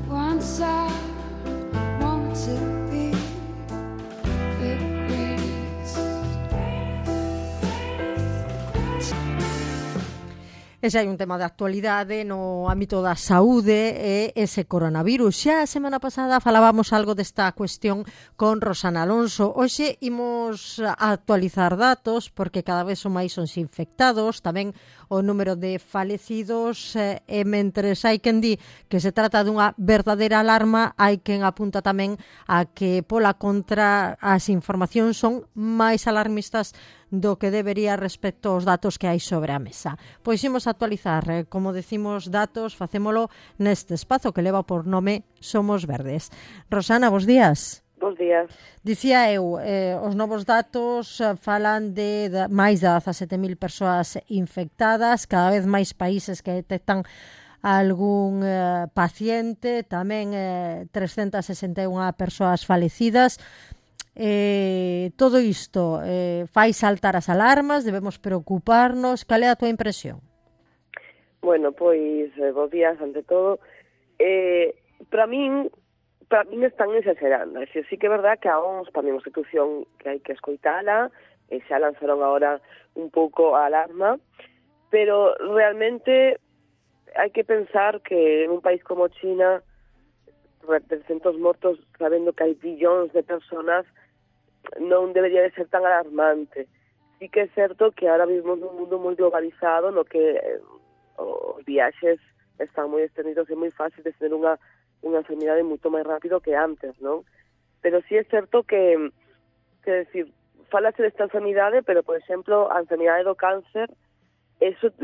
Once I wanted to be the greatest. Ese hai un tema de actualidade no ámbito da saúde e ese coronavirus. Xa a semana pasada falábamos algo desta cuestión con Rosana Alonso. Hoxe imos a actualizar datos porque cada vez son máis os infectados, tamén o número de falecidos e mentres hai quen di que se trata dunha verdadeira alarma, hai quen apunta tamén a que pola contra as informacións son máis alarmistas do que debería respecto aos datos que hai sobre a mesa. Pois imos actualizar, como decimos, datos, facémolo neste espazo que leva por nome Somos Verdes. Rosana, bos días. Bos días. Dicía eu, os novos datos falan de máis de 17.000 persoas infectadas, cada vez máis países que detectan algún paciente, tamén 361 persoas falecidas. Todo isto fai saltar as alarmas, debemos preocuparnos. Cal é a túa impresión? Bueno, pois, bos días ante todo. Para min están exagerando. É dicir, sí que é verdad que a OMS tamén é unha institución que hai que escoitala, e xa lanzaron agora un pouco a alarma, pero realmente hai que pensar que en un país como China, 300 mortos, sabendo que hai billóns de personas, non debería de ser tan alarmante. Sí que é certo que ahora vivimos nun mundo moi globalizado no que os viaxes están moi extendidos e moi fácil de tener unha enfermidade moito máis rápido que antes, non? Pero sí é certo que decir, falase desta enfermidade, pero, por exemplo, a enfermidade do cáncer, eso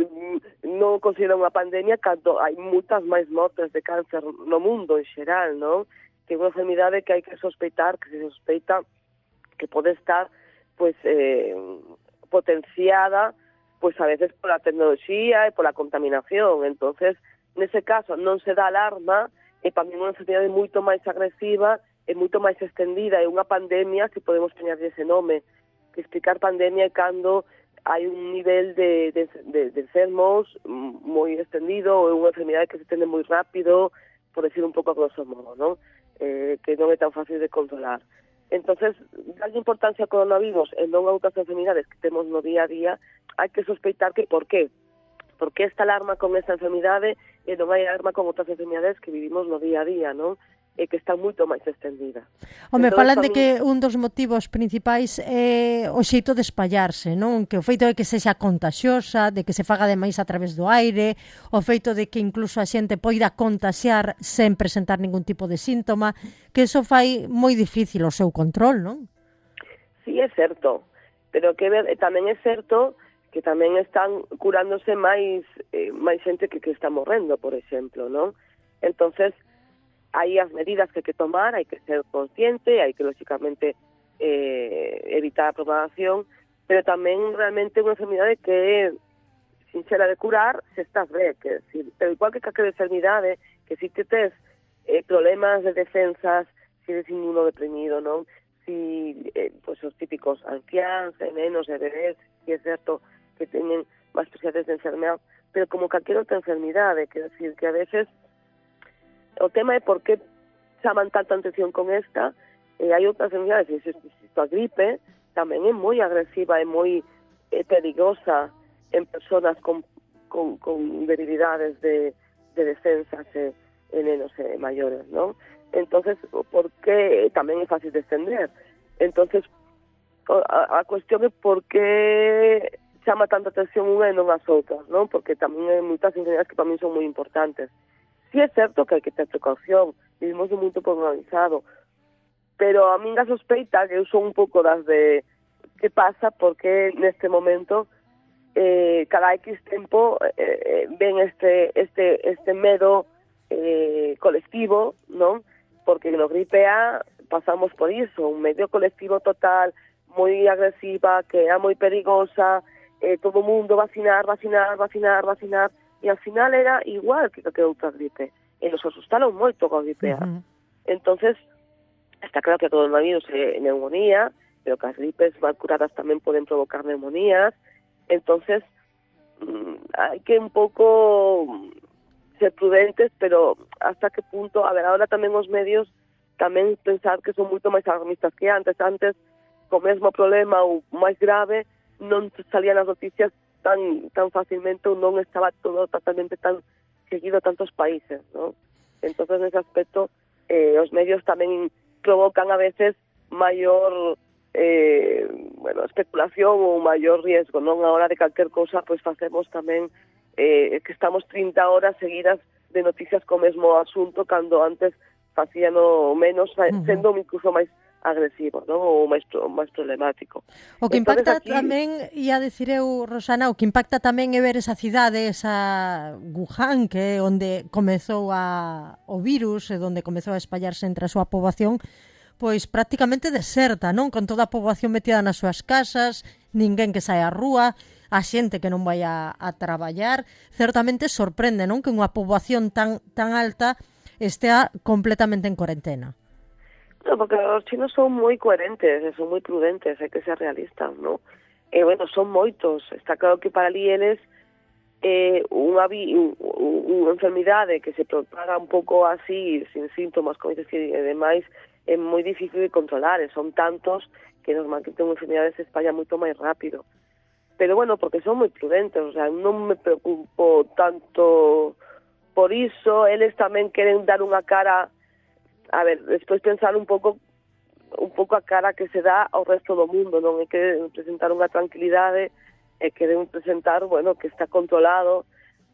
non considera unha pandemia cando hai moitas máis mortes de cáncer no mundo en xeral, non? Que é unha enfermidade que hai que sospeitar, que se sospeita que pode estar, pois, potenciada, pois, a veces pola tecnoloxía e pola contaminación. Entonces, nese caso, non se dá alarma, e para mí unha enfermidade moito máis agresiva e moito máis extendida, é unha pandemia, se podemos poñerlle ese nome, que explicar pandemia é cando hai un nivel de enfermos moi extendido, ou unha enfermidade que se estende moi rápido, por decir un pouco a grosso modo, non? Que non é tan fácil de controlar. Entonces, darlle importancia ao coronavirus e non a outras enfermidades que temos no día a día, hai que sospeitar que por qué. Por que esta alarma con esta enfermidade e non hai alarma con outras enfermidades que vivimos no día a día, non? E que está moito máis extendida. Home, falan de que un dos motivos principais é o xeito de espallarse, non? Que o feito de que sexa contaxiosa, de que se faga demais a través do aire, o feito de que incluso a xente poida contaxiar sen presentar ningún tipo de síntoma, que eso fai moi difícil o seu control, non? Sí, é certo, pero que tamén é certo que tamén están curándose máis xente que está morrendo, por exemplo, non? Entonces, hai as medidas que hai que tomar, hai que ser consciente, hai que, lógicamente, evitar a propagación, pero tamén realmente unha enfermidade que é sinxela de curar se estás ben, que decir, pero igual que calquera enfermidade, que si te tes problemas de defensas, si eres inmunodeprimido, non? Si, pues, os típicos anciáns, nenos, bebés, si é certo que teñen máis posibilidades de enfermedade, pero como calquera outra enfermidade, que decir, que a veces o tema é por que chaman tanta atención con esta, E hai outras enfermidades, a gripe tamén é moi agresiva, é moi perigosa en persoas con debilidades de defensas e nenos maiores, non? Entonces, por que tamén é fácil de estender? Entonces, a cuestión é por que chama tanta atención unha e non as outras, non? Porque tamén hai moitas enfermedades que para mí son moi importantes. Sí é certo que hai que ter precaución, vivimos un mundo organizado, pero a min a sospeita que eu son un pouco das de que pasa porque neste momento cada X tempo ven este medo colectivo, non? Porque no gripe A pasamos por iso, un medio colectivo total, moi agresiva, que era moi perigosa, todo o mundo vacinar, e ao final era igual que outra gripe. E nos asustaron moito coa gripe A. Entonces, está claro que o coronavirus é neumonía, pero que as gripes mal curadas tamén poden provocar neumonías. Entonces, hai que un pouco ser prudentes, pero hasta que punto, a ver, ahora tamén os medios tamén pensar que son moito máis alarmistas que antes. Antes, co mesmo problema ou máis grave, non salían as noticias tan facilmente, ou non estaba todo totalmente tan seguido a tantos países, ¿no? Entonces, nese aspecto, os medios tamén provocan a veces maior especulación ou maior riesgo, non? A hora de calquer cousa, pois facemos tamén que estamos 30 horas seguidas de noticias co mesmo asunto, cando antes facíano menos, sendo incluso máis agresivo, non? Ou máis problemático. O que impacta aquí tamén, ia dicir eu, Rosana, o que impacta tamén é ver esa cidade, esa Wuhan, que é onde comezou o virus, e onde comezou a espallarse entre a súa poboación, pois prácticamente deserta, non? Con toda a poboación metida nas súas casas, ninguén que saia á rúa, a xente que non vai a traballar. Certamente sorprende, non? Que unha poboación tan alta estea completamente en cuarentena. No, porque os chinos son moi coherentes, son moi prudentes, hai que ser realistas, non? E, son moitos. Está claro que para ali eles unha enfermidade que se propaga un pouco así, sin síntomas, como dices, e demais, é moi difícil de controlar, e son tantos que normalmente unha enfermidade se espalla moito máis rápido. Pero, porque son moi prudentes, o sea, non me preocupo tanto por iso. Eles tamén queren dar unha cara, a ver, despois pensar un pouco a cara que se dá ao resto do mundo, non? É que presentar unha tranquilidade, e queren presentar, que está controlado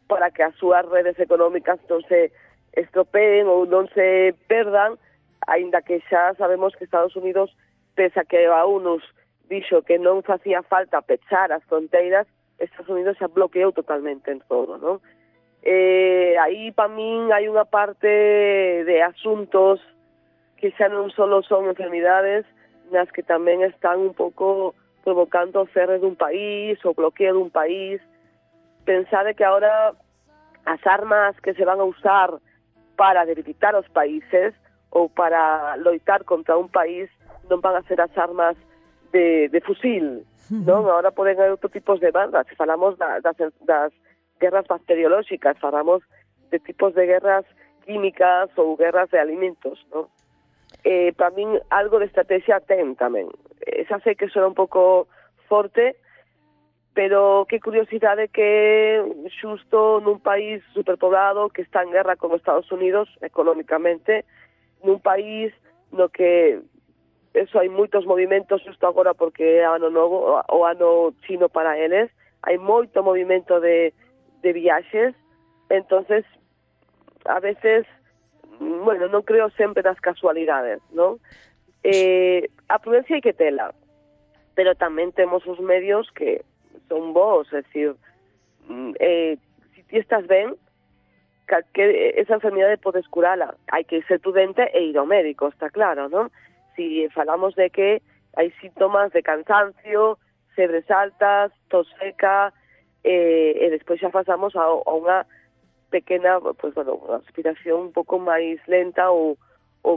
para que as súas redes económicas non se estropeen ou non se perdan, aínda que xa sabemos que Estados Unidos, pese a que a ONU dixo que non facía falta pechar as fronteiras, Estados Unidos xa bloqueou totalmente en todo, non? Aí, para min, hai unha parte de asuntos que xa non só son enfermidades, nas que tamén están un pouco provocando o cerre dun país, o bloqueo dun país. Pensade que agora as armas que se van a usar para debilitar os países ou para loitar contra un país non van a ser as armas de fusil, non? Agora poden haber outro tipos de bandas. Se falamos das guerras bacteriolóxicas, falamos de tipos de guerras químicas ou guerras de alimentos, non? Para min, algo de estrategia ten tamén. Xa sei que suena un pouco forte, pero que curiosidade que xusto nun país superpoblado que está en guerra con Estados Unidos económicamente, nun país no que hai moitos movimentos xusto agora porque é ano novo, o ano chino para eles, hai moito movimento de viaxes. Entonces, a veces, non creo sempre nas casualidades, non? A prudencia hai que tela, pero tamén temos os medios que son bons, é dicir, se ti estás ben, esa enfermidade podes curala. Hai que ser prudente e ir ao médico, está claro, non? Si falamos de que hai síntomas de cansancio, febres altas, tos seca, e despois xa pasamos a unha pequena, unha respiración un pouco máis lenta ou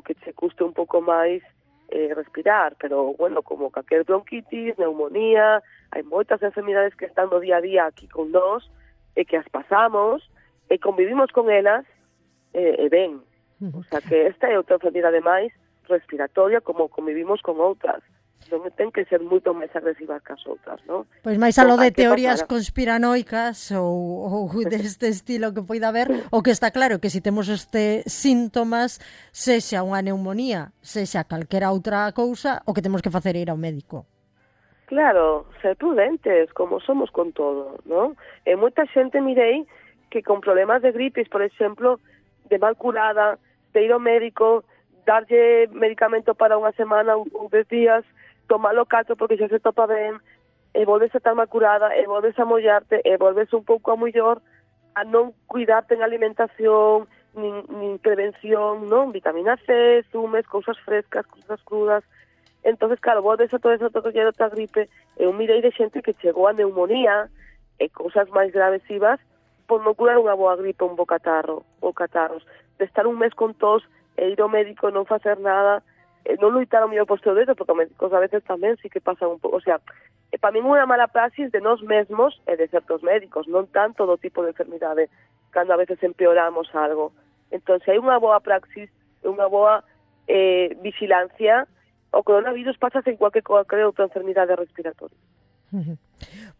que se custe un pouco máis respirar, pero, como calquer bronquitis, neumonía, hai moitas enfermidades que están no día a día aquí con nós, e que as pasamos, e convivimos con elas, e ben. O sea, que esta é outra enfermidade máis respiratoria como convivimos con outras. Non ten que ser moito máis agresivas que as outras, non? Pois máis a lo de Hai que teorías pasar conspiranoicas ou deste estilo que poida haber, o que está claro que se temos este síntomas, sexa unha neumonía, sexa calquera outra cousa, o que temos que facer é ir ao médico. Claro, ser prudentes, como somos con todo, non? E moita xente mirei que con problemas de gripes, por exemplo, de mal curada, de ir ao médico, darlle medicamento para unha semana ou 10 días, tomalo cato porque xa se topa ben, e volves a estar mal curada, e volves a mollarte, e volves un pouco a mellor a non cuidarte en alimentación, nin prevención, non? Vitamina C, zumes, cousas frescas, cousas crudas. Entonces, claro, volves a todo eso, todo que outra gripe, e un mirei de xente que chegou a neumonía e cousas máis gravesivas por non curar unha boa gripe, un bo catarro, ou catarros, de estar un mes con tos e ir ao médico e non facer nada, non loitar ao mellor posto dedo, porque os médicos a veces tamén sí que pasan un pouco, o sea, para mí unha mala praxis de nós mesmos e de certos médicos, non tanto do tipo de enfermidade, cando a veces empeoramos algo. Entón, se hai unha boa praxis, unha boa vigilancia, o coronavirus pasa en cualquier outra enfermidade respiratoria.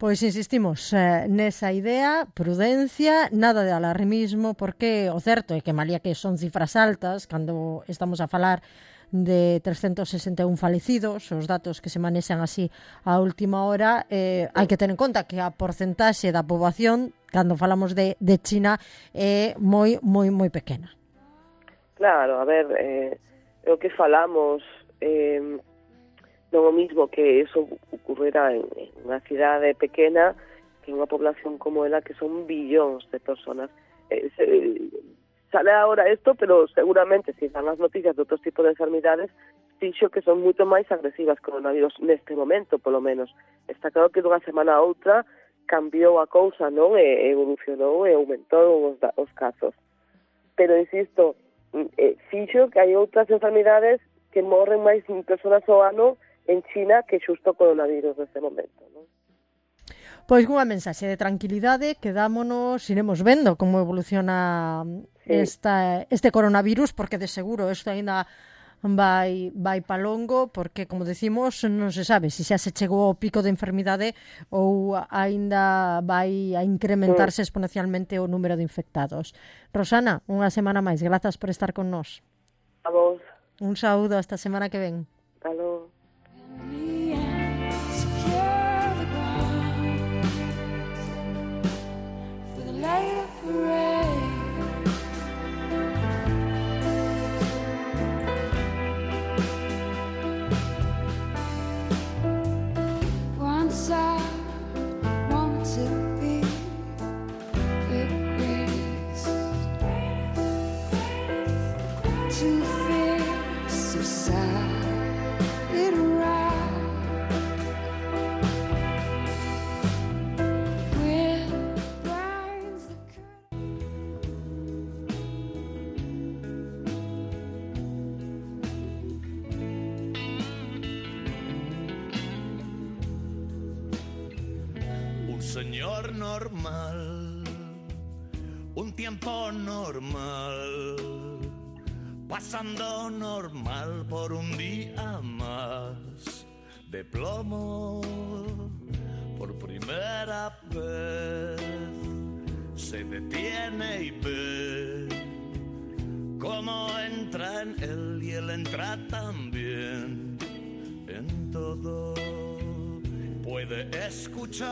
Pois insistimos nesa idea, prudencia, nada de alarmismo, porque o certo é que malía que son cifras altas, cando estamos a falar de 361 falecidos, os datos que se manexan así a última hora, hai que ter en conta que a porcentaxe da poboación, cando falamos de China, é moi pequena. Claro, a ver, o que falamos, non o mismo que eso ocurrirá en unha cidade pequena que unha población como ela, que son billóns de personas. Sale ahora esto, pero seguramente si dan as noticias de outros tipos de enfermidades, dixo que son moito máis agresivas que o coronavirus neste momento, polo menos. Está claro que dunha semana a outra cambiou a cousa, non? E evolucionou e aumentou os casos. Pero, insisto, fixo que hai outras enfermidades que morren máis personas ao ano en China que xusto o coronavirus neste momento, non? Pois unha mensaxe de tranquilidade, quedámonos, iremos vendo como evoluciona este coronavirus, porque de seguro isto ainda vai pa longo, porque, como decimos, non se sabe se xa se chegou ao pico de enfermidade ou ainda vai a incrementarse exponencialmente o número de infectados. Rosana, unha semana máis, grazas por estar con nós. A vos. Un saúdo hasta a semana que ven. Hasta logo. Once I wanted to be the greatest, too fierce to side it right. With brains that Un señor normal, un tiempo normal, pasando normal por un día más de plomo. Por primera vez se detiene y ve cómo entra en él y él entra también en todo. Puede escuchar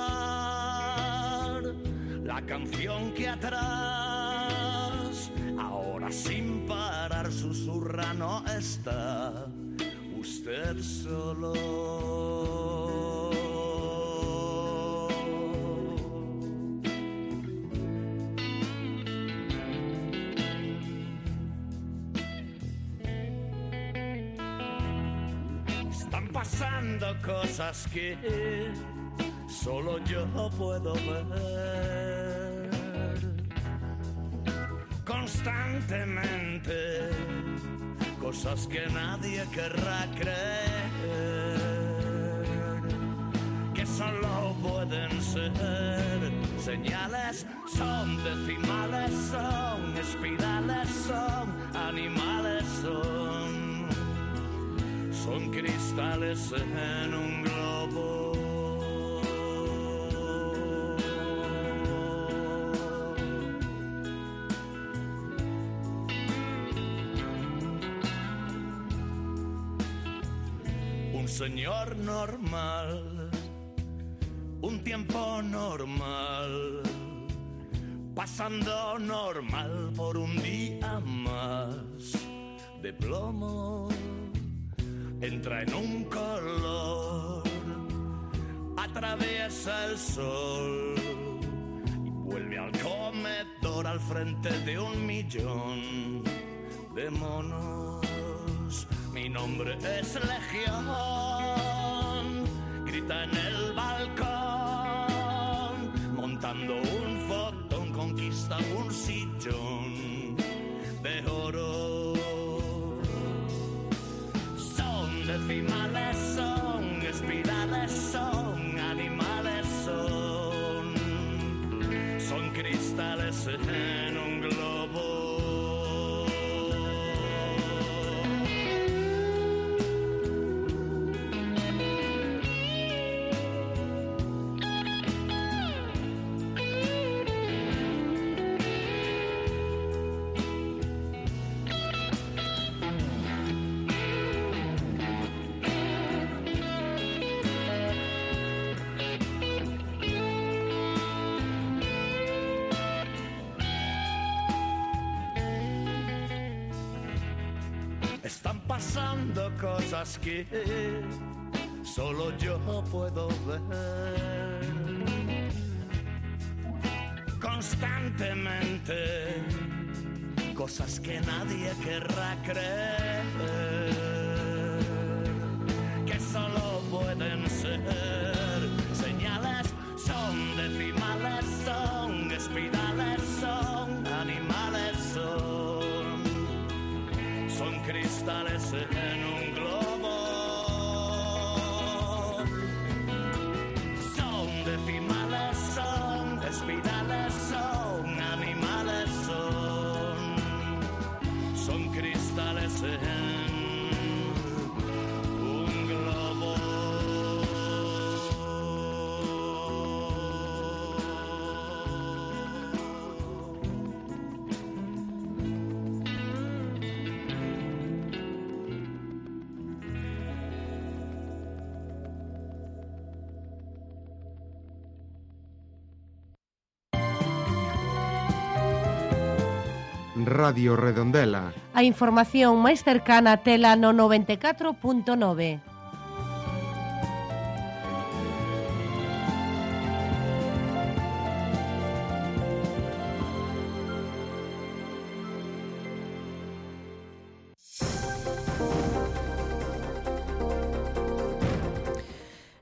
la canción que atrás, ahora sin parar susurra, no está usted solo. Están pasando cosas que solo yo puedo ver constantemente, cosas que nadie querrá creer, que solo pueden ser señales, son decimales, son espirales, son animales, son son cristales en un globo. Un señor normal, un tiempo normal, pasando normal por un día más de plomo. Entra en un color, atraviesa el sol y vuelve al comedor al frente de 1.000.000 de monos. Mi nombre es Legión, grita en el balcón, montando un fotón, conquista un sillón de oro. Son decimales, son espirales, son animales, son cristales en un globo. Están pasando cosas que solo yo puedo ver. Constantemente, cosas que nadie querrá creer, que solo pueden ser señales, son decimales, son espirales, son animales, son cristales en un globo. Son decimales, son espirales, son animales, son cristales en un globo. Radio Redondela. A información máis cercana tela no 94.9.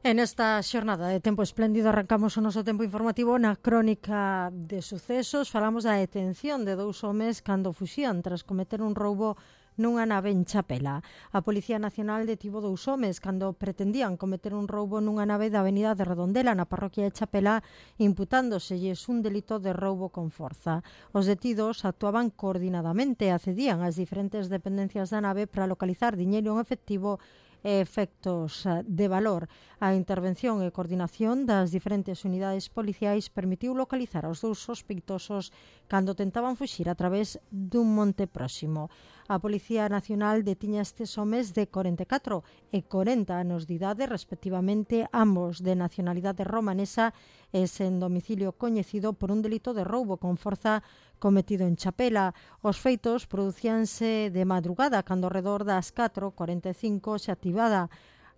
En esta xornada de tempo espléndido arrancamos o noso tempo informativo na crónica de sucesos. Falamos da detención de 2 homes cando fuxían tras cometer un roubo nunha nave en Chapela. A Policía Nacional detivo 2 homes cando pretendían cometer un roubo nunha nave da avenida de Redondela na parroquia de Chapela, imputándoselles un delito de roubo con forza. Os detidos actuaban coordinadamente e accedían ás diferentes dependencias da nave para localizar diñeiro en efectivo e efectos de valor. A intervención e coordinación das diferentes unidades policiais permitiu localizar aos 2 sospeitosos cando tentaban fuxir a través dun monte próximo. A Policía Nacional detiña estes homes de 44 e 40 anos de idade, respectivamente, ambos de nacionalidade romanesa e sen domicilio coñecido por un delito de roubo con forza cometido en Chapela. Os feitos producíanse de madrugada, cando ao redor das 4:45 se activada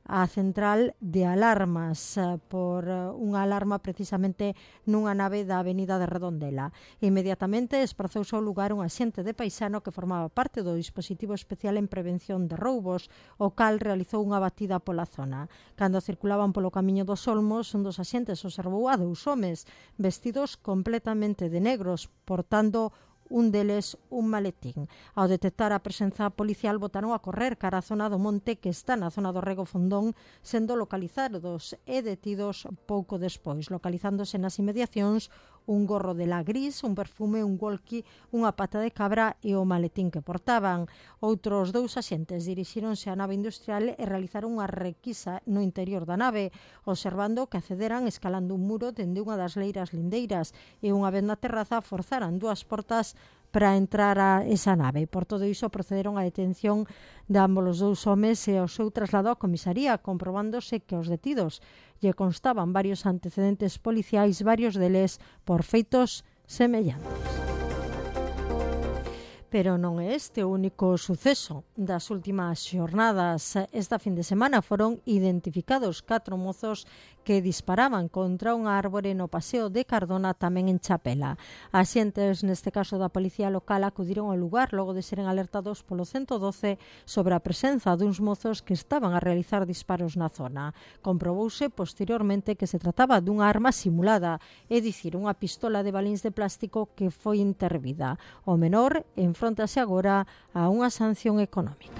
a central de alarmas por unha alarma precisamente nunha nave da avenida de Redondela. Inmediatamente desprazouse ao lugar un axente de paisano que formaba parte do dispositivo especial en prevención de roubos, o cal realizou unha batida pola zona. Cando circulaban polo camiño dos Olmos, un dos axentes observou a 2 homes vestidos completamente de negros, portando un deles un maletín. Ao detectar a presenza policial, botaron a correr cara a zona do monte que está na zona do Rego Fondón, sendo localizados e detidos pouco despois, localizándose nas inmediacións un gorro de la gris, un perfume, un walkie, unha pata de cabra e o maletín que portaban. Outros 2 axentes dirixíronse á nave industrial e realizaron unha requisa no interior da nave, observando que accederan escalando un muro dende unha das leiras lindeiras e unha vez na terraza forzaran 2 portas para entrar a esa nave. Por todo iso procederon á detención de ambos os 2 homes e ao seu traslado á comisaría, comprobándose que os detidos lle constaban varios antecedentes policiais, varios deles por feitos semellantes. Pero non é este o único suceso das últimas xornadas. Esta fin de semana foron identificados 4 mozos que disparaban contra unha árbore no paseo de Cardona, tamén en Chapela. Axentes, neste caso da policía local, acudiron ao lugar logo de seren alertados polo 112 sobre a presenza duns mozos que estaban a realizar disparos na zona. Comprobouse posteriormente que se trataba dunha arma simulada, é dicir, unha pistola de balíns de plástico que foi intervida. O menor enfróntase agora a unha sanción económica.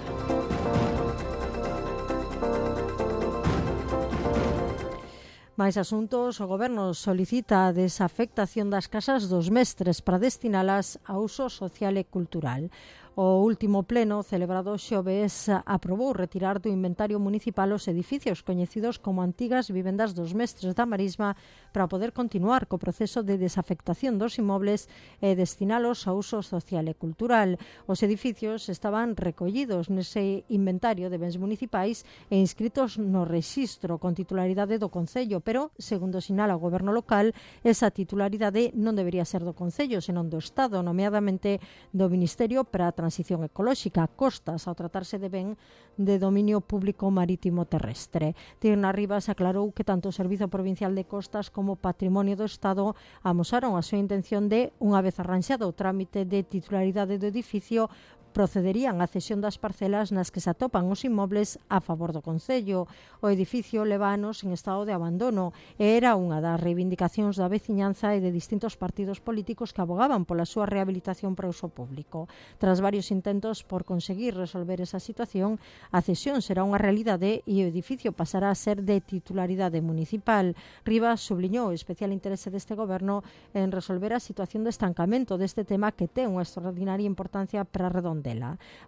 Máis asuntos, o Goberno solicita a desafectación das casas dos mestres para destinalas a uso social e cultural. O último pleno, celebrado xoves, aprobou retirar do inventario municipal os edificios coñecidos como antigas vivendas dos mestres da Marisma para poder continuar co proceso de desafectación dos inmobles e destinalos a uso social e cultural. Os edificios estaban recollidos nese inventario de bens municipais e inscritos no rexistro con titularidade do Concello, pero, segundo sinala o Goberno local, esa titularidade non debería ser do Concello, senón do Estado, nomeadamente do Ministerio para a Transición Ecolóxica, costas, ao tratarse de ben de dominio público marítimo terrestre. Tirna Rivas aclarou que tanto o Servizo Provincial de Costas como o Patrimonio do Estado amosaron a súa intención de, unha vez arranxado o trámite de titularidade do edificio, procederían á cesión das parcelas nas que se atopan os inmobles a favor do Concello. O edificio leva anos en estado de abandono e era unha das reivindicacións da veciñanza e de distintos partidos políticos que abogaban pola súa rehabilitación para uso público. Tras varios intentos por conseguir resolver esa situación, a cesión será unha realidade e o edificio pasará a ser de titularidade municipal. Rivas subliñou o especial interese deste Goberno en resolver a situación de estancamento deste tema que ten unha extraordinaria importancia para Redondela.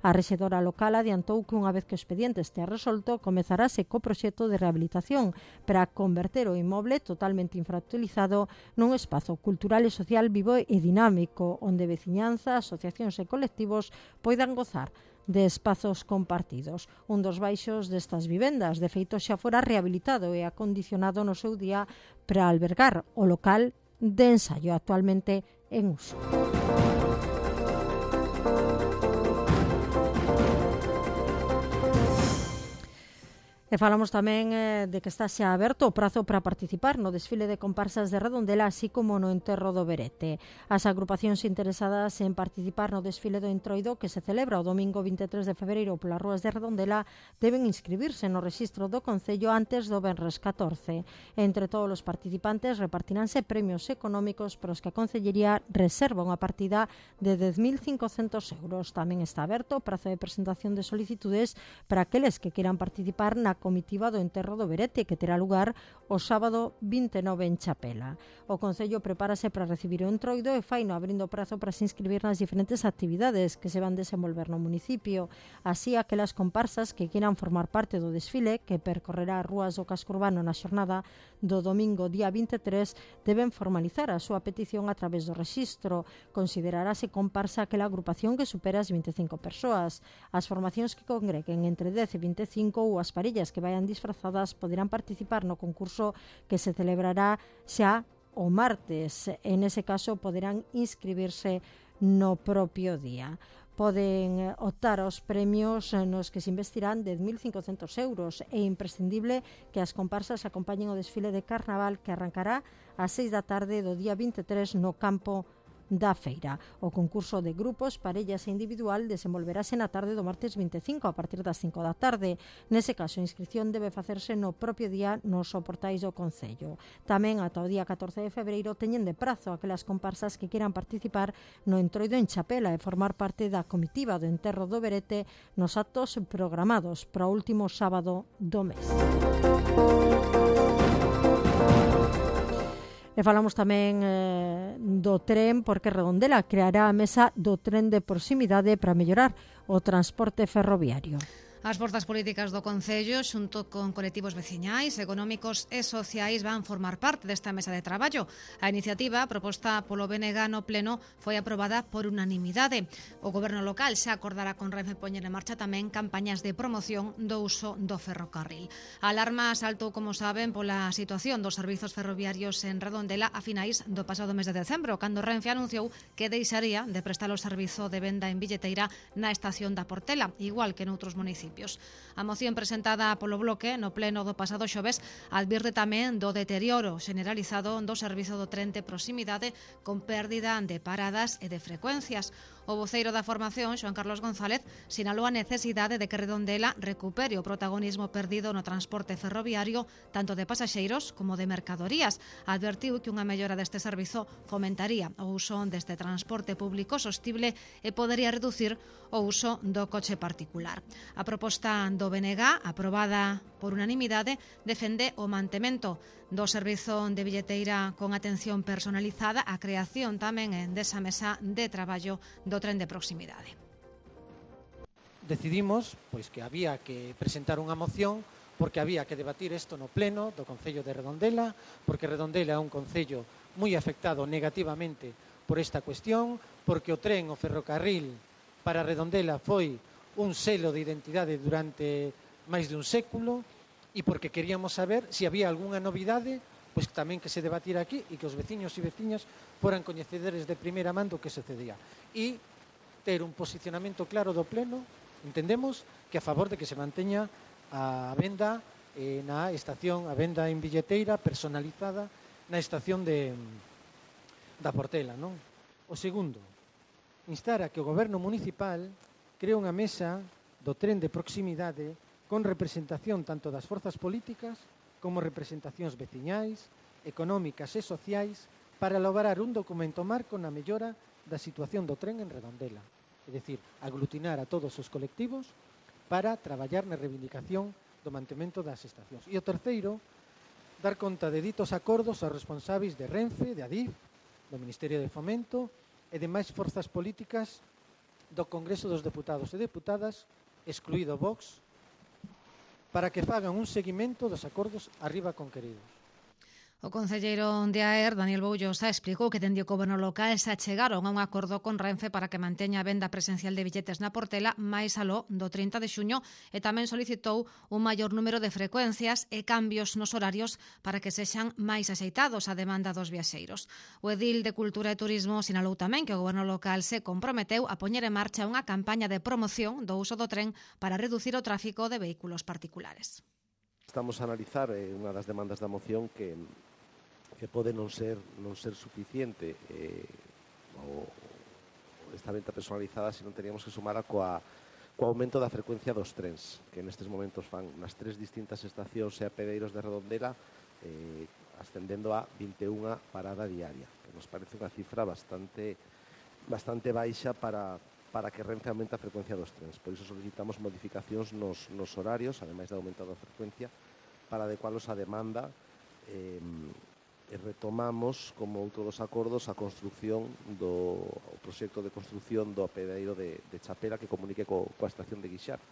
A rexedora local adiantou que unha vez que o expediente estea resolto, comezarase co proxecto de rehabilitación para converter o inmoble totalmente infrautilizado nun espazo cultural e social vivo e dinámico, onde veciñanza, asociacións e colectivos poidan gozar de espazos compartidos. Un dos baixos destas vivendas, de feito, xa fora rehabilitado e acondicionado no seu día para albergar o local de ensaio actualmente en uso. E falamos tamén de que está xa aberto o prazo para participar no desfile de comparsas de Redondela, así como no enterro do Berete. As agrupacións interesadas en participar no desfile do Entroido, que se celebra o domingo 23 de febreiro polas rúas de Redondela, deben inscribirse no rexistro do Concello antes do venres 14. Entre todos os participantes repartiránse premios económicos para os que a Concellería reserva unha partida de 10.500 euros. Tamén está aberto o prazo de presentación de solicitudes para aqueles que queiran participar na comitiva do enterro do Berete, que terá lugar o sábado 29 en Chapela. O Concello prepárase para recibir o Entroido e faino abrindo prazo para se inscribir nas diferentes actividades que se van desenvolver no municipio. Así, aquelas comparsas que queiran formar parte do desfile, que percorrerá as rúas do casco urbano na xornada do domingo día 23, deben formalizar a súa petición a través do rexistro. Considerarase comparsa aquela agrupación que supera as 25 persoas. As formacións que congreguen entre 10 e 25 ou as parellas que vayan disfrazadas poderán participar no concurso que se celebrará xa o martes. En ese caso poderán inscribirse no propio día. Poden optar aos premios nos que se investirán 10.500 euros. É imprescindible que as comparsas acompañen o desfile de carnaval que arrancará ás 6 da tarde do día 23 no campo da feira. O concurso de grupos, parellas e individual desenvolverase na tarde do martes 25 a partir das 5 da tarde. Nese caso, a inscripción debe facerse no propio día nos portais do Concello. Tamén ata o día 14 de febreiro teñen de prazo aquelas comparsas que queiran participar no Entroido en Chapela e formar parte da comitiva do enterro do Berete nos actos programados para o último sábado do mes. E falamos tamén do tren, porque Redondela creará a mesa do tren de proximidade para mellorar o transporte ferroviario. As forzas políticas do Concello, xunto con colectivos veciñais, económicos e sociais, van formar parte desta mesa de traballo. A iniciativa, proposta polo BNG no Pleno, foi aprobada por unanimidade. O Goberno local xa acordará con Renfe poñer en marcha tamén campañas de promoción do uso do ferrocarril. A alarma saltou, como saben, pola situación dos servizos ferroviarios en Redondela a finais do pasado mes de decembro, cando Renfe anunciou que deixaría de prestar o servizo de venda en billeteira na estación da Portela, igual que noutros municipios. A moción presentada polo Bloque no Pleno do pasado xoves advirte tamén do deterioro generalizado do servizo do tren de proximidade con pérdida de paradas e de frecuencias. O voceiro da formación, Xoán Carlos González, sinalou a necesidade de que Redondela recupere o protagonismo perdido no transporte ferroviario tanto de pasaxeiros como de mercadorías. Advertiu que unha mellora deste servizo fomentaría o uso deste transporte público sostible e podería reducir o uso do coche particular. A proposta do BNG, aprobada por unanimidade, defende o mantemento do servizo de billeteira con atención personalizada, a creación tamén desa mesa de traballo do tren de proximidade. Decidimos pois que había que presentar unha moción porque había que debatir isto no Pleno do Concello de Redondela, porque Redondela é un concello moi afectado negativamente por esta cuestión, porque o tren, o ferrocarril para Redondela foi un selo de identidade durante máis de un século, e porque queríamos saber se había algunha novidade, pois tamén que se debatira aquí e que os veciños e veciñas foran coñecedores de primeira man do que sucedía. E ter un posicionamento claro do Pleno, entendemos que a favor de que se manteña a venda na estación, a venda en billeteira personalizada na estación da Portela, non? O segundo, instar a que o Goberno municipal cree unha mesa do tren de proximidade con representación tanto das forzas políticas como representacións veciñais, económicas e sociais para lograr un documento marco na mellora da situación do tren en Redondela. É dicir, aglutinar a todos os colectivos para traballar na reivindicación do mantemento das estacións. E o terceiro, dar conta de ditos acordos aos responsáveis de Renfe, de Adif, do Ministerio de Fomento e demais forzas políticas do Congreso dos Deputados e Deputadas, excluído Vox, para que fagan un seguimento dos acordos arriba conqueridos. O concelleiro de AER, Daniel Boullosa, explicou que dende o Goberno local se achegaron a un acordo con Renfe para que manteña a venda presencial de billetes na Portela máis aló do 30 de xuño e tamén solicitou un maior número de frecuencias e cambios nos horarios para que sexan máis axeitados á demanda dos viaxeiros. O edil de Cultura e Turismo sinalou tamén que o Goberno local se comprometeu a poñer en marcha unha campaña de promoción do uso do tren para reducir o tráfico de vehículos particulares. Estamos a analizar unha das demandas da moción que pode non ser suficiente o esta venta personalizada se non teríamos que sumar co aumento da frecuencia dos trens, que nestes momentos fan nas 3 distintas estacións e apedeiros de Redondela, ascendendo a 21 parada diaria, que nos parece unha cifra bastante baixa para que Renfe aumente a frecuencia dos trens. Por iso solicitamos modificacións nos horarios, ademais de aumentar a frecuencia, para adecualos á demanda. Retomamos, como outro dos acordos, a construcción do proxecto de construcción do apeadeiro de Chapela que comunique coa estación de Guixar.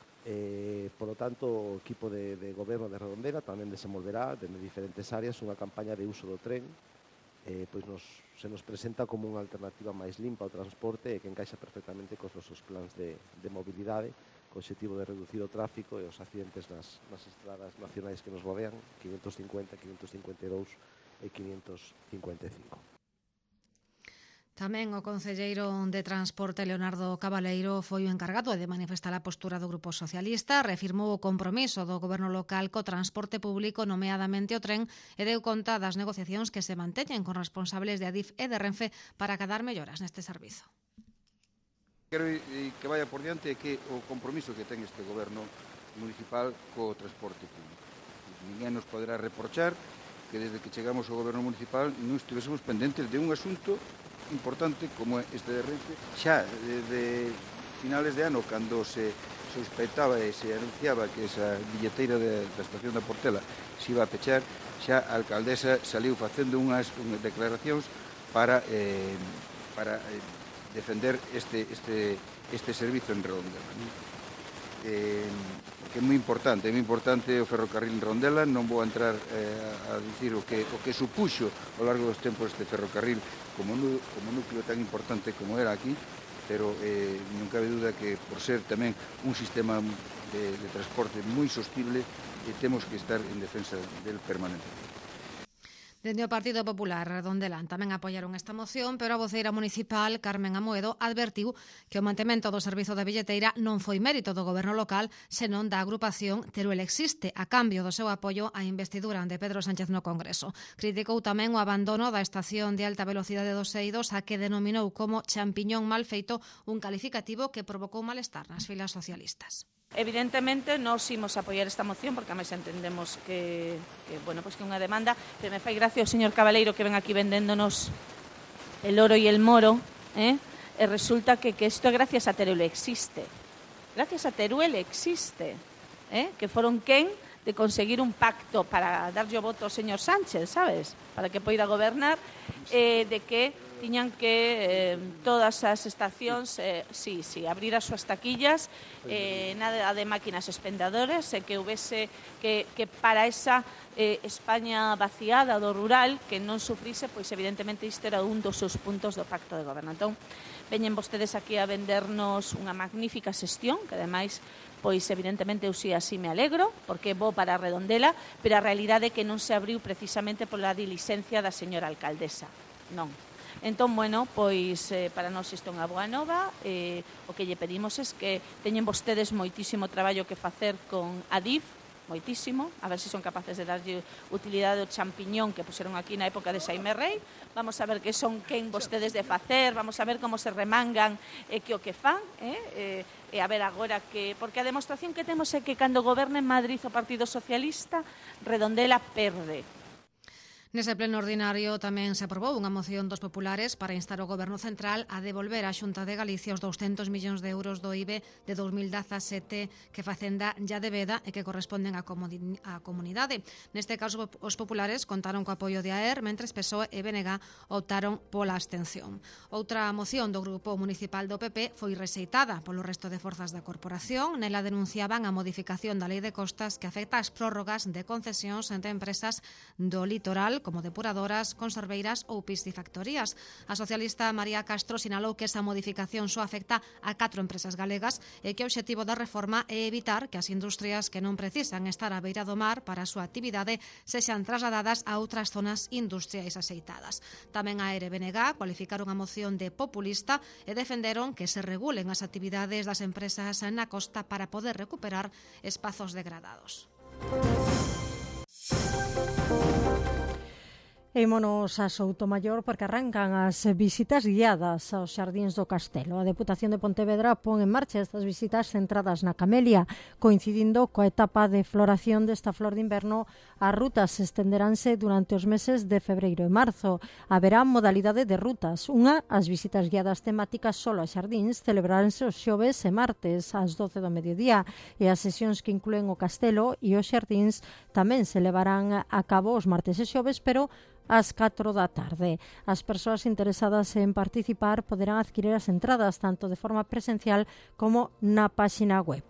Por lo tanto, o equipo de goberno de Redondela tamén desenvolverá dende diferentes áreas unha campaña de uso do tren, pois se nos presenta como unha alternativa máis limpa ao transporte e que encaixa perfectamente cos nosos plans de mobilidade, co objetivo de reducir o tráfico e os accidentes nas estradas nacionais que nos rodean, 550, 552 e 555. Tamén o concelleiro de Transporte, Leonardo Cabaleiro, foi o encargado de manifestar a postura do Grupo Socialista, reafirmou o compromiso do Goberno local co transporte público, nomeadamente o tren, e deu conta das negociacións que se manteñen con responsables de Adif e de Renfe para acadar melloras neste servizo. Quero que vaya por diante que o compromiso que ten este Goberno municipal co transporte público. Ninguén nos poderá reprochar que desde que chegamos ao Goberno municipal non estivésemos pendentes de un asunto importante como este de Renfe, xa de finales de ano, cando se sospeitaba e se anunciaba que esa billeteira da estación da Portela se iba a pechar, xa a alcaldesa saliu facendo unhas declaracións para defender este servizo en Redondela, que é moi importante o ferrocarril en Redondela. Non vou entrar a dicir o que supuxo ao largo dos tempos este ferrocarril como núcleo tan importante como era aquí, pero non cabe duda que por ser tamén un sistema de transporte moi sostible, temos que estar en defensa del permanentemente. Dende o Partido Popular, Redondela tamén apoiaron esta moción, pero a voceira municipal, Carmen Amoedo, advertiu que o mantemento do servizo da billeteira non foi mérito do goberno local, senón da agrupación Teruel Existe, a cambio do seu apoio á investidura de Pedro Sánchez no Congreso. Criticou tamén o abandono da estación de alta velocidade dos Eidos, a que denominou como champiñón mal feito, un calificativo que provocou malestar nas filas socialistas. Evidentemente nos imos apoiar esta moción porque además entendemos que é unha demanda, pero me fai gracia o señor Cabaleiro que ven aquí vendéndonos el oro e el moro, e resulta que isto gracias a Teruel Existe. Gracias a Teruel Existe, que foron quen de conseguir un pacto para darlle o voto ao señor Sánchez, sabes? Para que poida gobernar, de que tiñan que todas as estacións abrir as súas taquillas, nada de máquinas expendedoras, e que houvese que para esa España vaciada do rural que non sufrise, pois evidentemente isto era un dos seus puntos do pacto de goberno. Entón, veñen vostedes aquí a vendernos unha magnífica xestión, que ademais pois evidentemente eu si así me alegro, porque é bo para a Redondela, pero a realidade é que non se abriu precisamente pola diligencia da señora alcaldesa. Non. Entón, pois para nós isto é unha boa nova. O que lle pedimos é que teñen vostedes moitísimo traballo que facer con Adif, moitísimo, a ver se son capaces de darlle utilidade ao champiñón que puseron aquí na época de Xaime Rei. Vamos a ver que son quen vostedes de facer, vamos a ver como se remangan e que o que fan, e a ver agora que... Porque a demostración que temos é que cando goberna en Madrid o Partido Socialista, Redondela perde. Nese pleno ordinario tamén se aprobou unha moción dos populares para instar o Goberno Central a devolver á Xunta de Galicia os 200 millóns de euros do IBE de 2017 que Facenda ya debeda e que corresponden á comunidade. Neste caso, os populares contaron co apoio de AER, mentres PSOE e BNG optaron pola abstención. Outra moción do Grupo Municipal do PP foi rexeitada polo resto de forzas da corporación. Nela denunciaban a modificación da Lei de Costas que afecta as prórrogas de concesións entre empresas do litoral como depuradoras, conserveiras ou piscifactorías. A socialista María Castro sinalou que esa modificación só afecta a 4 empresas galegas e que o obxectivo da reforma é evitar que as industrias que non precisan estar á beira do mar para a súa actividade sexan trasladadas a outras zonas industriais axeitadas. Tamén a ERBNG cualificaron a moción de populista e defenderon que se regulen as actividades das empresas na costa para poder recuperar espazos degradados. Ímonos a Soutomaior porque arrancan as visitas guiadas aos xardíns do Castelo. A Deputación de Pontevedra pon en marcha estas visitas centradas na camelia, coincidindo coa etapa de floración desta flor de inverno. As rutas estenderánse durante os meses de febreiro e marzo. Haberá modalidade de rutas. Unha, as visitas guiadas temáticas solo a xardíns, celebraránse os xoves e martes ás 12 do mediodía, e as sesións que incluen o Castelo e os xardíns tamén se levarán a cabo os martes e xoves, pero ás 4 da tarde. As persoas interesadas en participar poderán adquirir as entradas tanto de forma presencial como na páxina web.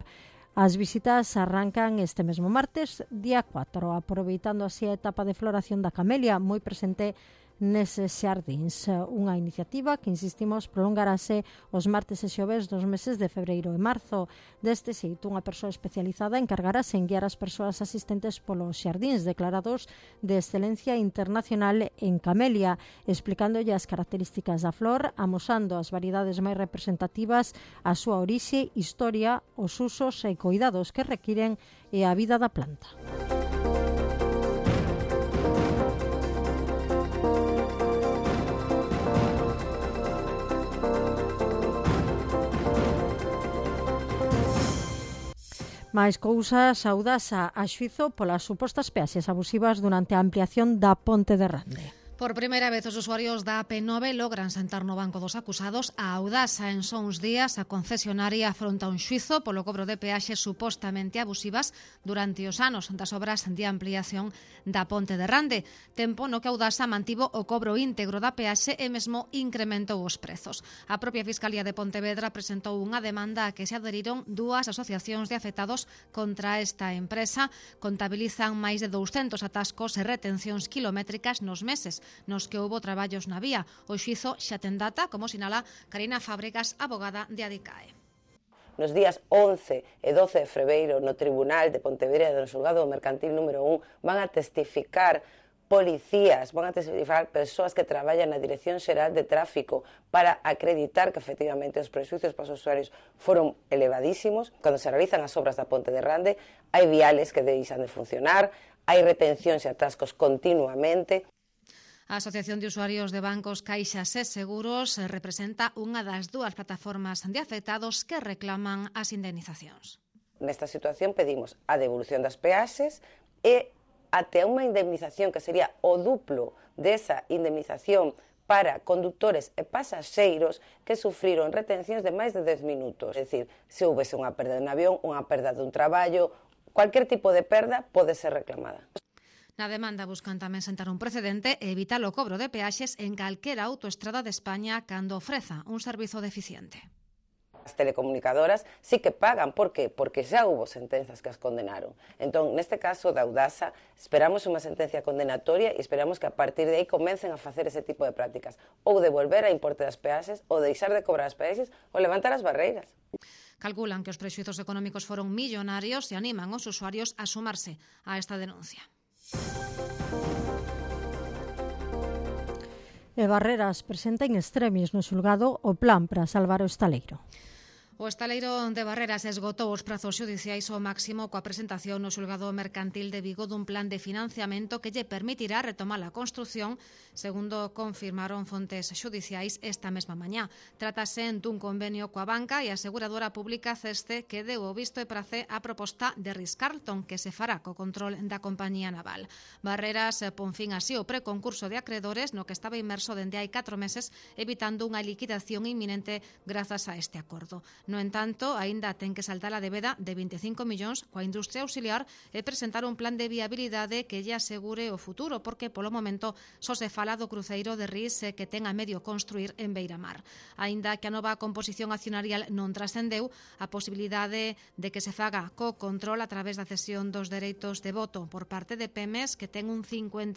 As visitas arrancan este mesmo martes, día 4, aproveitando así a etapa de floración da camelia, moi presente neses xardíns. Unha iniciativa que, insistimos, prolongarase os martes e xoves dos meses de febreiro e marzo. Deste xeito, unha persoa especializada encargarase en guiar as persoas asistentes polos xardíns declarados de excelencia internacional en camelia, explicándolle as características da flor, amosando as variedades máis representativas, a súa orixe, historia, os usos e cuidados que requiren e a vida da planta. Máis cousas, Audasa a xuizo polas supostas peaxes abusivas durante a ampliación da Ponte de Rande. Por primeira vez os usuarios da AP9 logran sentar no banco dos acusados. A Audasa en só uns días a concesionaria afronta un xuizo polo cobro de peaxes supostamente abusivas durante os anos das obras de ampliación da Ponte de Rande, tempo no que Audasa mantivo o cobro íntegro da peaxe e mesmo incrementou os prezos. A propia Fiscalía de Pontevedra presentou unha demanda a que se adheriron dúas asociacións de afectados contra esta empresa. Contabilizan máis de 200 atascos e retencións kilométricas nos meses nos que houbo traballos na vía. O xuizo xa ten data, como sinala Karina Fábregas, abogada de Adicae. Nos días 11 e 12 de febreiro no Tribunal de Pontevedra do Xulgado Mercantil número 1 van a testificar policías, van a testificar persoas que traballan na Dirección Xeral de Tráfico para acreditar que efectivamente os prexuicios para os usuarios foron elevadísimos. Cando se realizan as obras da Ponte de Rande, hai viales que deixan de funcionar, hai retencións e atascos continuamente. A Asociación de Usuarios de Bancos, Caixas e Seguros representa unha das dúas plataformas de afectados que reclaman as indemnizacións. Nesta situación pedimos a devolución das peaxes e até unha indemnización que sería o duplo desa indemnización para conductores e pasaxeiros que sufriron retencións de máis de 10 minutos. É dicir, se houvese unha perda dun avión, unha perda dun traballo, cualquier tipo de perda pode ser reclamada. Na demanda buscan tamén sentar un precedente e evitar o cobro de peaxes en calquera autoestrada de España cando ofreza un servizo deficiente. As telecomunicadoras sí que pagan. Por qué? Porque xa hubo sentenzas que as condenaron. Entón, neste caso da Audasa, esperamos unha sentencia condenatoria e esperamos que a partir de aí comecen a facer ese tipo de prácticas. Ou devolver a importe das peaxes, ou deixar de cobrar as peaxes, ou levantar as barreiras. Calculan que os prexuizos económicos foron millonarios e animan os usuarios a sumarse a esta denuncia. E Barreras presenta en extremis no xulgado o plan para salvar o estaleiro. O estaleiro de Barreras esgotou os prazos xudiciais ao máximo coa presentación no xulgado mercantil de Vigo dun plan de financiamento que lle permitirá retomar a construción, segundo confirmaron fontes xudiciais esta mesma mañá. Trátase dun convenio coa banca e a aseguradora pública Ceste que deu o visto e prace a proposta de Ritz-Carlton que se fará co control da compañía naval. Barreras pon fin así o preconcurso de acredores no que estaba inmerso dende hai 4 meses, evitando unha liquidación inminente grazas a este acordo. No entanto, aínda ten que saltar a débeda de 25 millóns coa industria auxiliar e presentar un plan de viabilidade que lle asegure o futuro, porque polo momento só se fala do cruceiro de Ris que ten a medio construir en Beiramar. Aínda que a nova composición accionarial non trascendeu, a posibilidade de que se faga co control a través da cesión dos dereitos de voto por parte de Pemex, que ten un 51%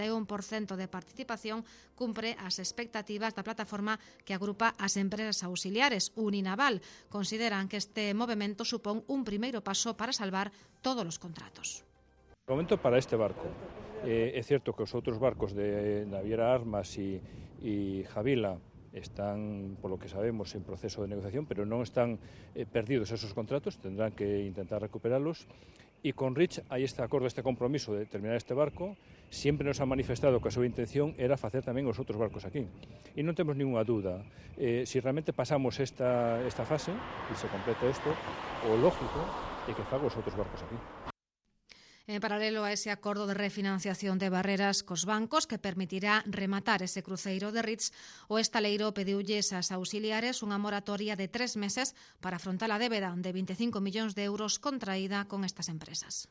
de participación, cumpre as expectativas da plataforma que agrupa as empresas auxiliares. Uninaval consideran que este movimento supón un primeiro paso para salvar todos os contratos. Momento para este barco. É certo que os outros barcos de Naviera Armas e Javila están, polo que sabemos, en proceso de negociación, pero non están perdidos esos contratos, tendrán que intentar recuperalos. E con Rich hai este acordo, este compromiso de terminar este barco. Sempre nos ha manifestado que a súa intención era facer tamén os outros barcos aquí. E non temos ninguna dúda. Se realmente pasamos esta fase e se completa isto, o lógico é que faga os outros barcos aquí. En paralelo a ese acordo de refinanciación de Barreras cos bancos que permitirá rematar ese cruceiro de Ritz, o estaleiro pediulles ás auxiliares unha moratoria de 3 meses para afrontar a débeda de 25 millóns de euros contraída con estas empresas.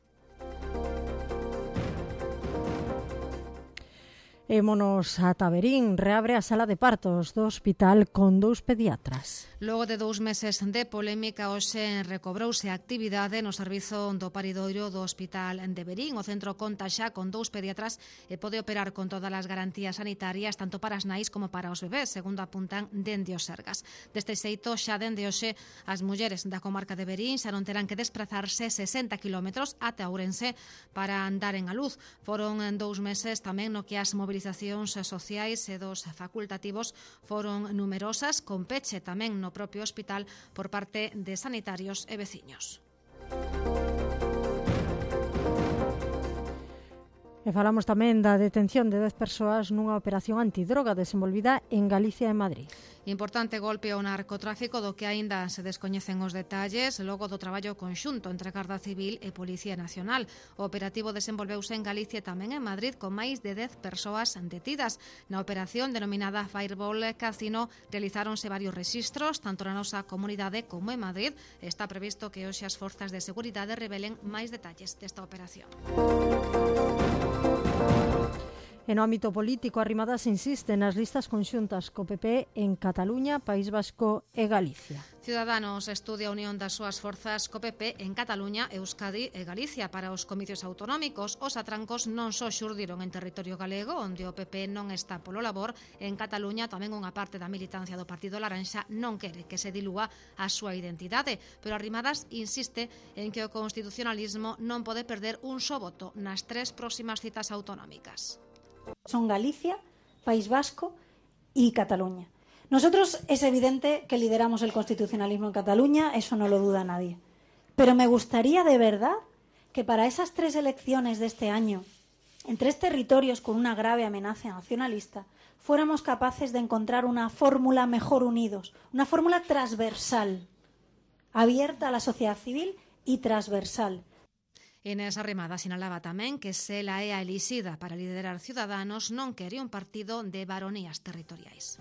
Émonos a Taberín, reabre a sala de partos do hospital con 2 pediatras. Logo de 2 meses de polémica, hoxe recobrouse a actividade no servizo do paridoiro do Hospital de Verín. O centro conta xa con 2 pediatras e pode operar con todas as garantías sanitarias, tanto para as nais como para os bebés, segundo apuntan dende os Sergas. Deste xeito, xa dende hoxe, as mulleres da comarca de Verín xa non terán que desplazarse 60 km ate Ourense para andaren a luz. Foron 2 meses tamén no que as movilizacións sociais e dos facultativos foron numerosas, con peche tamén no propio hospital por parte de sanitarios e veciños. E E falamos tamén da detención de 10 persoas nunha operación antidroga desenvolvida en Galicia e Madrid. Importante golpe ao narcotráfico do que aínda se descoñecen os detalles logo do traballo conxunto entre Garda Civil e Policía Nacional. O operativo desenvolveuse en Galicia e tamén en Madrid con máis de 10 persoas detidas. Na operación denominada Fireball Casino realizáronse varios rexistros tanto na nosa comunidade como en Madrid. Está previsto que hoxe as forzas de seguridade revelen máis detalles desta operación. En o ámbito político, Arrimadas insiste nas listas conxuntas co PP en Cataluña, País Vasco e Galicia. Ciudadanos estudia a unión das súas forzas co PP en Cataluña, Euskadi e Galicia para os comicios autonómicos. Os atrancos non só xurdiron en territorio galego, onde o PP non está polo labor. En Cataluña tamén unha parte da militancia do Partido Laranxa non quere que se dilúa a súa identidade, pero Arrimadas insiste en que o constitucionalismo non pode perder un só voto nas 3 próximas citas autonómicas. Son Galicia, País Vasco y Cataluña. Nosotros es evidente que lideramos el constitucionalismo en Cataluña, eso no lo duda nadie. Pero me gustaría de verdad que para esas 3 elecciones de este año, en 3 territorios con una grave amenaza nacionalista, fuéramos capaces de encontrar una fórmula mejor unidos, una fórmula transversal, abierta a la sociedad civil y transversal. Inés Arrimadas sinalaba tamén que se ela é a elixida para liderar Ciudadanos non quere un partido de varonías territoriais.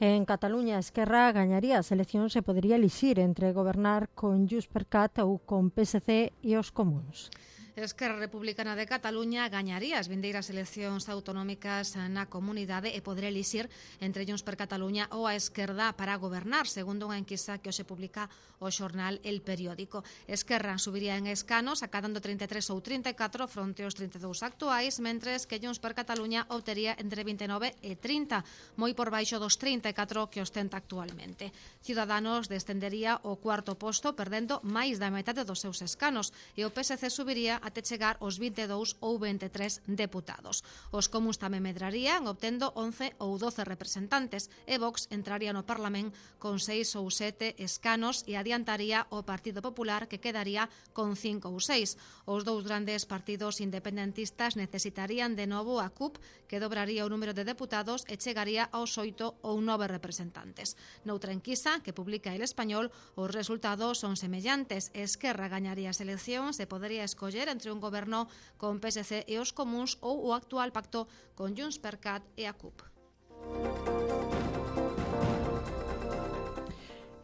En Cataluña, Esquerra gañaría as eleccións e podería elixir entre gobernar con JxCat ou con PSC e os comuns. Esquerra Republicana de Cataluña gañaría as vindeiras eleccións autonómicas na comunidade e poderá elixir entre Junts per Cataluña ou a esquerda para gobernar, segundo unha enquisa que hoxe publica o xornal El Periódico. Esquerra subiría en escanos, acadando 33 ou 34 fronte aos 32 actuais, mentres que Junts per Cataluña obtería entre 29 e 30, moi por baixo dos 34 que ostenta actualmente. Ciudadanos descendería ao cuarto posto, perdendo máis da metade dos seus escanos, e o PSC subiría até chegar aos 22 ou 23 deputados. Os comuns tamén medrarían, obtendo 11 ou 12 representantes, e Vox entraría no Parlamento con 6 ou 7 escanos e adiantaría o Partido Popular, que quedaría con 5 ou 6. Os dous grandes partidos independentistas necesitarían de novo a CUP, que dobraría o número de deputados e chegaría aos 8 ou 9 representantes. Noutra enquisa que publica El Español, os resultados son semellantes. Esquerra gañaría as eleccións e podería escoller entre un goberno con PSC e os comuns ou o actual pacto con JxCat e a CUP.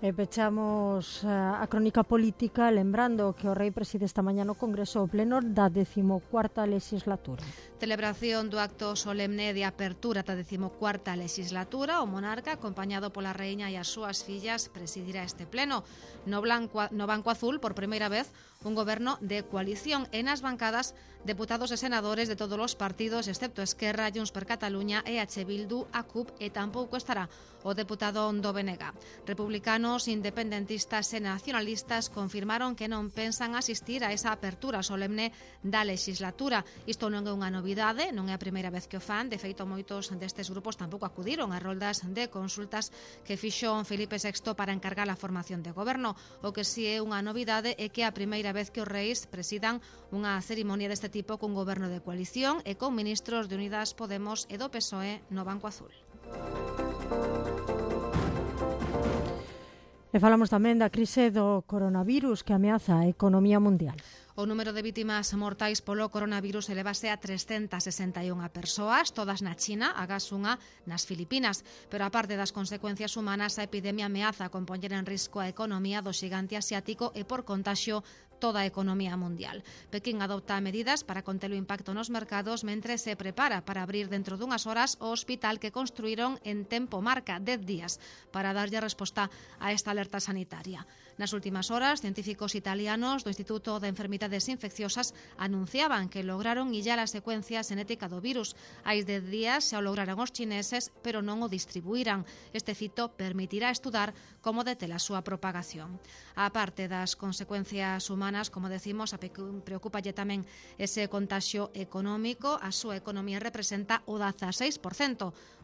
E pechamos a crónica política lembrando que o rei preside esta mañá no Congreso o pleno da 14ª legislatura. Celebración do acto solemne de apertura da 14ª legislatura. O monarca, acompañado pola reiña e as súas fillas, presidirá este pleno. No Banco Azul, por primeira vez, un goberno de coalición e nas bancadas deputados e senadores de todos os partidos, excepto Esquerra, Junts per Cataluña, EH Bildu, a CUP e tampouco estará o deputado do BNG. Republicanos, independentistas e nacionalistas confirmaron que non pensan asistir a esa apertura solemne da legislatura. Isto non é unha novidade, non é a primeira vez que o fan. De feito, moitos destes grupos tampouco acudiron a roldas de consultas que fixo Felipe VI para encargar a formación de goberno. O que si é unha novidade é que a primeira vez que os reis presidan unha cerimonia deste tipo cun goberno de coalición e con ministros de Unidas Podemos e do PSOE no Banco Azul. E falamos tamén da crise do coronavirus que ameaza a economía mundial. O número de vítimas mortais polo coronavirus elevase a 361 persoas, todas na China, agás unha nas Filipinas. Pero a parte das consecuencias humanas, a epidemia ameaza con poñer en risco a economía do xigante asiático e por contaxio toda a economía mundial. Pekín adopta medidas para conter o impacto nos mercados mentre se prepara para abrir dentro dunhas horas o hospital que construíron en tempo marca 10 días para darlle resposta a esta alerta sanitaria. Nas últimas horas, científicos italianos do Instituto de Enfermidades Infecciosas anunciaban que lograron illar a secuencia xenética do virus. Hai 10 días xa o lograron os chineses, pero non o distribuíran. Este fito permitirá estudar como detela a súa propagación. A parte das consecuencias humanas, como decimos, preocupalle tamén ese contaxio económico. A súa economía representa o 16%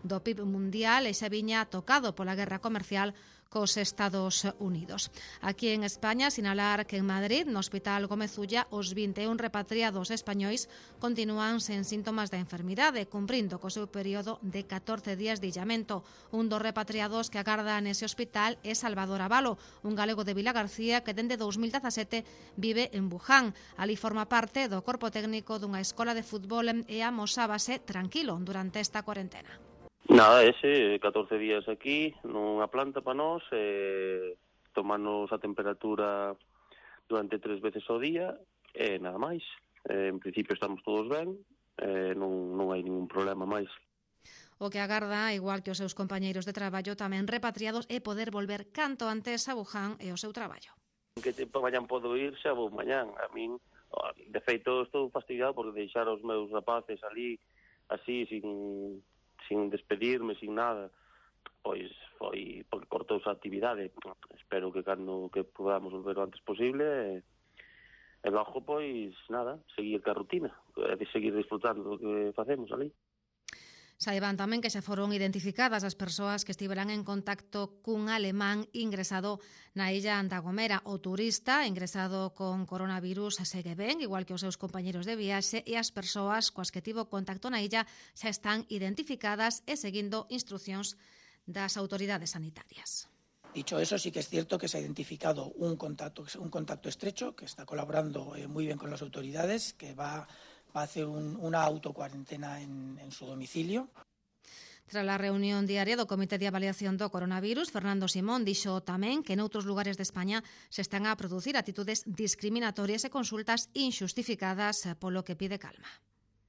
do PIB mundial e xa viña tocado pola guerra comercial cos Estados Unidos. Aquí en España, sinalar que en Madrid, no Hospital Gómez Ulla, os 21 repatriados españois continúan sen síntomas da enfermidade, cumprindo co seu período de 14 días de illamento. Un dos repatriados que agarda nese hospital é Salvador Avalo, un galego de Vilagarcía que dende 2017 vive en Wuhan. Ali forma parte do corpo técnico dunha escola de fútbol e amosábase tranquilo durante esta cuarentena. Nada, 14 días aquí, nunha planta para nós, tomarnos a temperatura durante 3 veces ao día, e nada máis. En principio estamos todos ben, non hai ningún problema máis. O que agarda, igual que os seus compañeiros de traballo tamén repatriados, é poder volver canto antes a Wuhan e o seu traballo. Que tempo mañan podo ir, xa vou mañán. A min, de feito, estou fastidiado por deixar os meus rapaces ali, así, sin despedirme, sin nada. Pois foi porque cortouse a actividade. Espero que cando que podamos volver o antes posible e logo, pois, nada, seguir ca rutina, de seguir disfrutando do que facemos ali. Saiban tamén que xa foron identificadas as persoas que estiveran en contacto cun alemán ingresado na illa da Gomera. O turista ingresado con coronavirus segue ben, igual que os seus compañeros de viaxe, e as persoas coas que tivo contacto na illa xa están identificadas e seguindo instruccións das autoridades sanitarias. Dicho eso, sí que es cierto que se ha identificado un contacto estrecho que está colaborando muy bien con las autoridades, que va a hacer una autocuarentena en su domicilio. Tras a reunión diaria do Comité de Avaliación do Coronavirus, Fernando Simón dixo tamén que noutros lugares de España se están a producir actitudes discriminatorias e consultas injustificadas, polo que pide calma.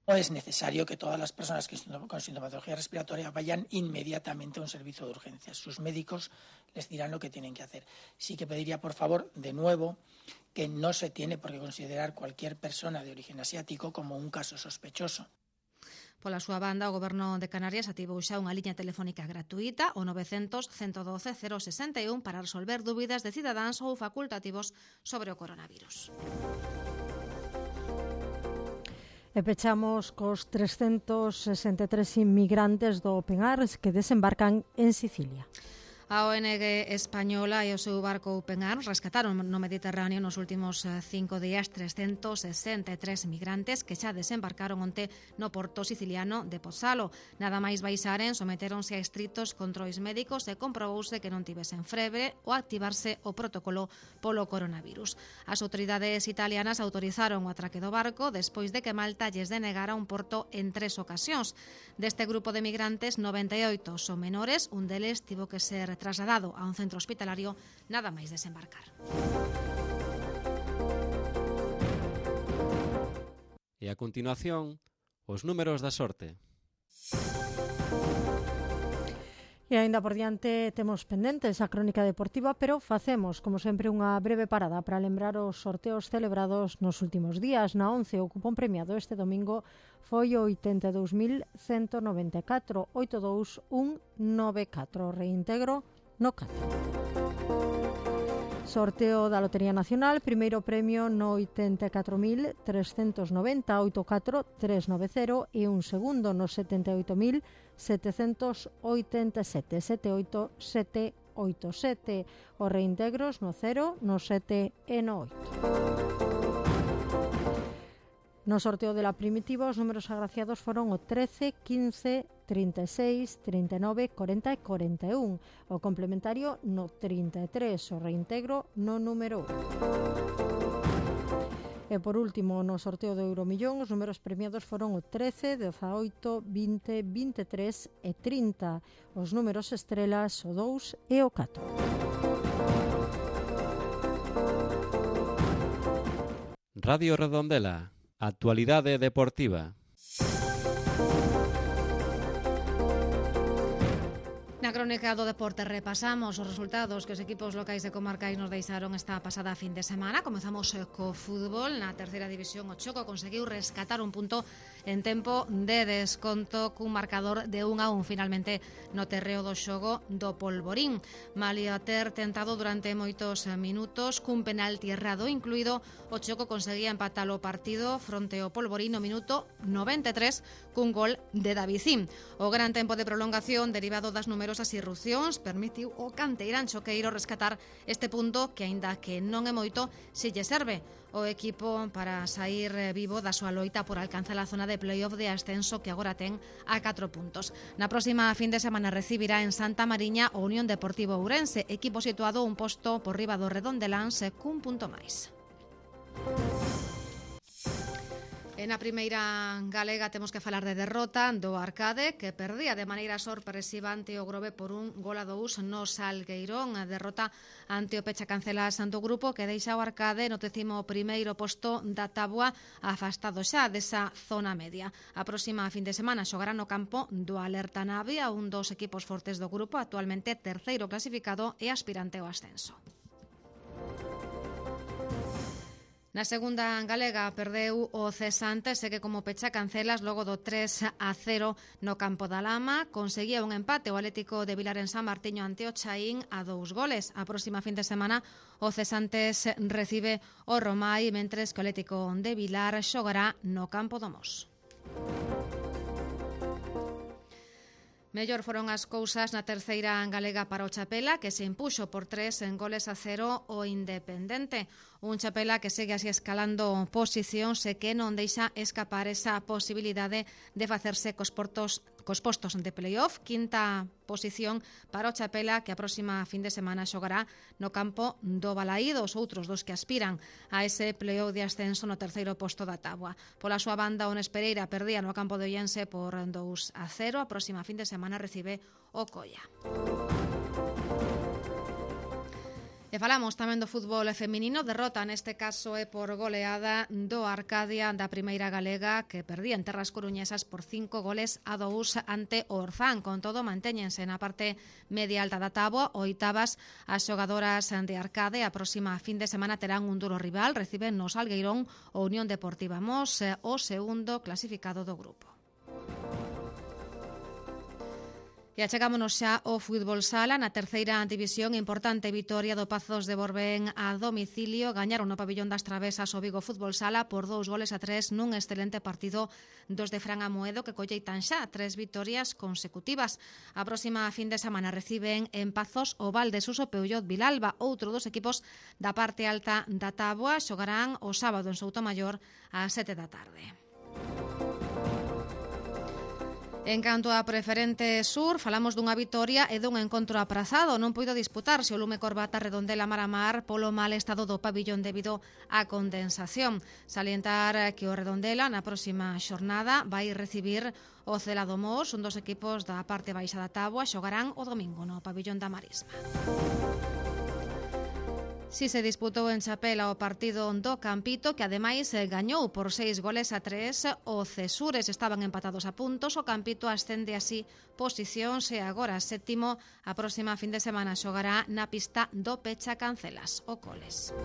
No es necesario que todas las personas con sintomatología respiratoria vayan inmediatamente a un servicio de urgencias. Sus médicos les dirán lo que tienen que hacer. Sí que pediría, por favor, de nuevo, que no se tiene por qué considerar cualquier persona de origen asiático como un caso sospechoso. Pola súa banda, o Goberno de Canarias ativou xa unha liña telefónica gratuita, o 900 112 061, para resolver dúbidas de cidadáns ou facultativos sobre o coronavirus. E pechamos cos 363 inmigrantes do Open Arms que desembarcan en Sicilia. A ONG española e o seu barco Open Arms rescataron no Mediterráneo nos últimos 5 días 363 migrantes que xa desembarcaron onte no porto siciliano de Pozzalo. Nada máis baixaren, sometéronse a estritos controis médicos e comprobouse que non tivesen febre ou activarse o protocolo polo coronavirus. As autoridades italianas autorizaron o atraque do barco despois de que Malta lles denegara un porto en 3 ocasións. Deste grupo de migrantes, 98 son menores, un deles tivo que ser trasladado a un centro hospitalario nada máis desembarcar. E a continuación, os números da sorte. E aínda por diante temos pendentes a crónica deportiva, pero facemos, como sempre, unha breve parada para lembrar os sorteos celebrados nos últimos días. Na 11, o cupón premiado este domingo foi o 82.194, 82194, reintegro no 4. Sorteo da Lotería Nacional, primeiro premio no 84.390, 84390, e un segundo no 78.787, 78787, os reintegros no 0, no 7 e no 8. No sorteo de la primitiva, os números agraciados foron o 13, 15, 36, 39, 40 e 41. O complementario no 33, o reintegro no número 1. E por último, no sorteo do Euromillón, os números premiados foron o 13, 18, 20, 23 e 30. Os números estrelas, o 2 e o 4. Radio Redondela. Actualidade deportiva. Na crónica do deporte repasamos os resultados que os equipos locais e comarcais nos deixaron esta pasada fin de semana. Comezamos co fútbol. Na terceira división, o Choco conseguiu rescatar un punto en tempo de desconto cun marcador de 1-1 finalmente no terreo do xogo do Polvorín. Malia ter tentado durante moitos minutos cun penalti errado incluído, o Choco conseguía empatar o partido fronte ao Polvorín no minuto 93 cun gol de Davicín. O gran tempo de prolongación derivado das numerosas irrupcións permitiu o canteirán choqueiro rescatar este punto que, aínda que non é moito, si lle serve o equipo para sair vivo da súa loita por alcanzar a zona de playoff de ascenso que agora ten a 4 puntos. Na próxima fin de semana recibirá en Santa Mariña o Unión Deportivo Ourense, equipo situado un posto por riba do Redondeláns cun punto máis. En a primeira galega temos que falar de derrota do Arcade, que perdía de maneira sorpresiva ante o Grove por 1-2 no Salgueirón. A derrota ante o Pecha Cancelas do grupo que deixa o Arcade no 11º posto da táboa, afastado xa desa zona media. A próxima fin de semana xogará no campo do Alerta Navia, un dos equipos fortes do grupo, actualmente terceiro clasificado e aspirante ao ascenso. Na segunda galega perdeu o Cesante, segue como Pecha Cancelas logo do 3-0 no campo da Lama. Conseguía un empate o Atlético de Vilar en San Martiño ante o Chaín a 2 goles. A próxima fin de semana o Cesantes recibe o Romai, mentres que o Atlético de Vilar xogará no campo do Mos. Mellor foron as cousas na terceira galega para o Chapela, que se impuxo por 3-0 o Independente. Un Chapela que segue así escalando posicións e que non deixa escapar esa posibilidade de facerse cos postos de playoff. Quinta posición para o Chapela, que a próxima fin de semana xogará no campo do Balaído, os outros dos que aspiran a ese playoff de ascenso no terceiro posto da táboa. Pola súa banda, o Nespereira perdía no campo de Ollense por 2-0. A próxima fin de semana recibe o Coia. E falamos tamén do fútbol feminino. Derrota neste caso é por goleada do Arcadia da primeira galega, que perdía en terras coruñesas por 5-2 ante o Orzán. Con todo, mantéñense na parte media alta da táboa, oitavas as xogadoras de Arcade. A próxima fin de semana terán un duro rival, reciben no Salgueirón o Unión Deportiva Mos, o segundo clasificado do grupo. E achegámonos xa ao fútbol sala. Na terceira división, importante vitoria do Pazos de Borbén a domicilio. Gañaron no pabillón das Travesas o Vigo Fútbol Sala por 2-3 nun excelente partido dos de Fran Amoedo, que colleitan xa 3 vitorias consecutivas. A próxima fin de semana reciben en Pazos o Valdesuso Peullot Vilalba, outro dos equipos da parte alta da táboa. Xogarán o sábado en Soutomaior ás 7 da tarde. En canto a Preferente Sur, falamos dunha vitoria e dun encontro aprazado. Non puido disputarse o Lume Corbata Redondela Maramar polo mal estado do pabillón debido á condensación. Salientar que o Redondela na próxima xornada vai recibir o Celado Mos, un dos equipos da parte baixa da táboa. Xogarán o domingo no pabillón da Marisma. Si se disputou en Chapela o partido do Campito, que ademais gañou por 6-3. O Cesures estaban empatados a puntos. O Campito ascende así posicións e agora sétimo. A próxima fin de semana xogará na pista do Pecha Cancelas, o Coles.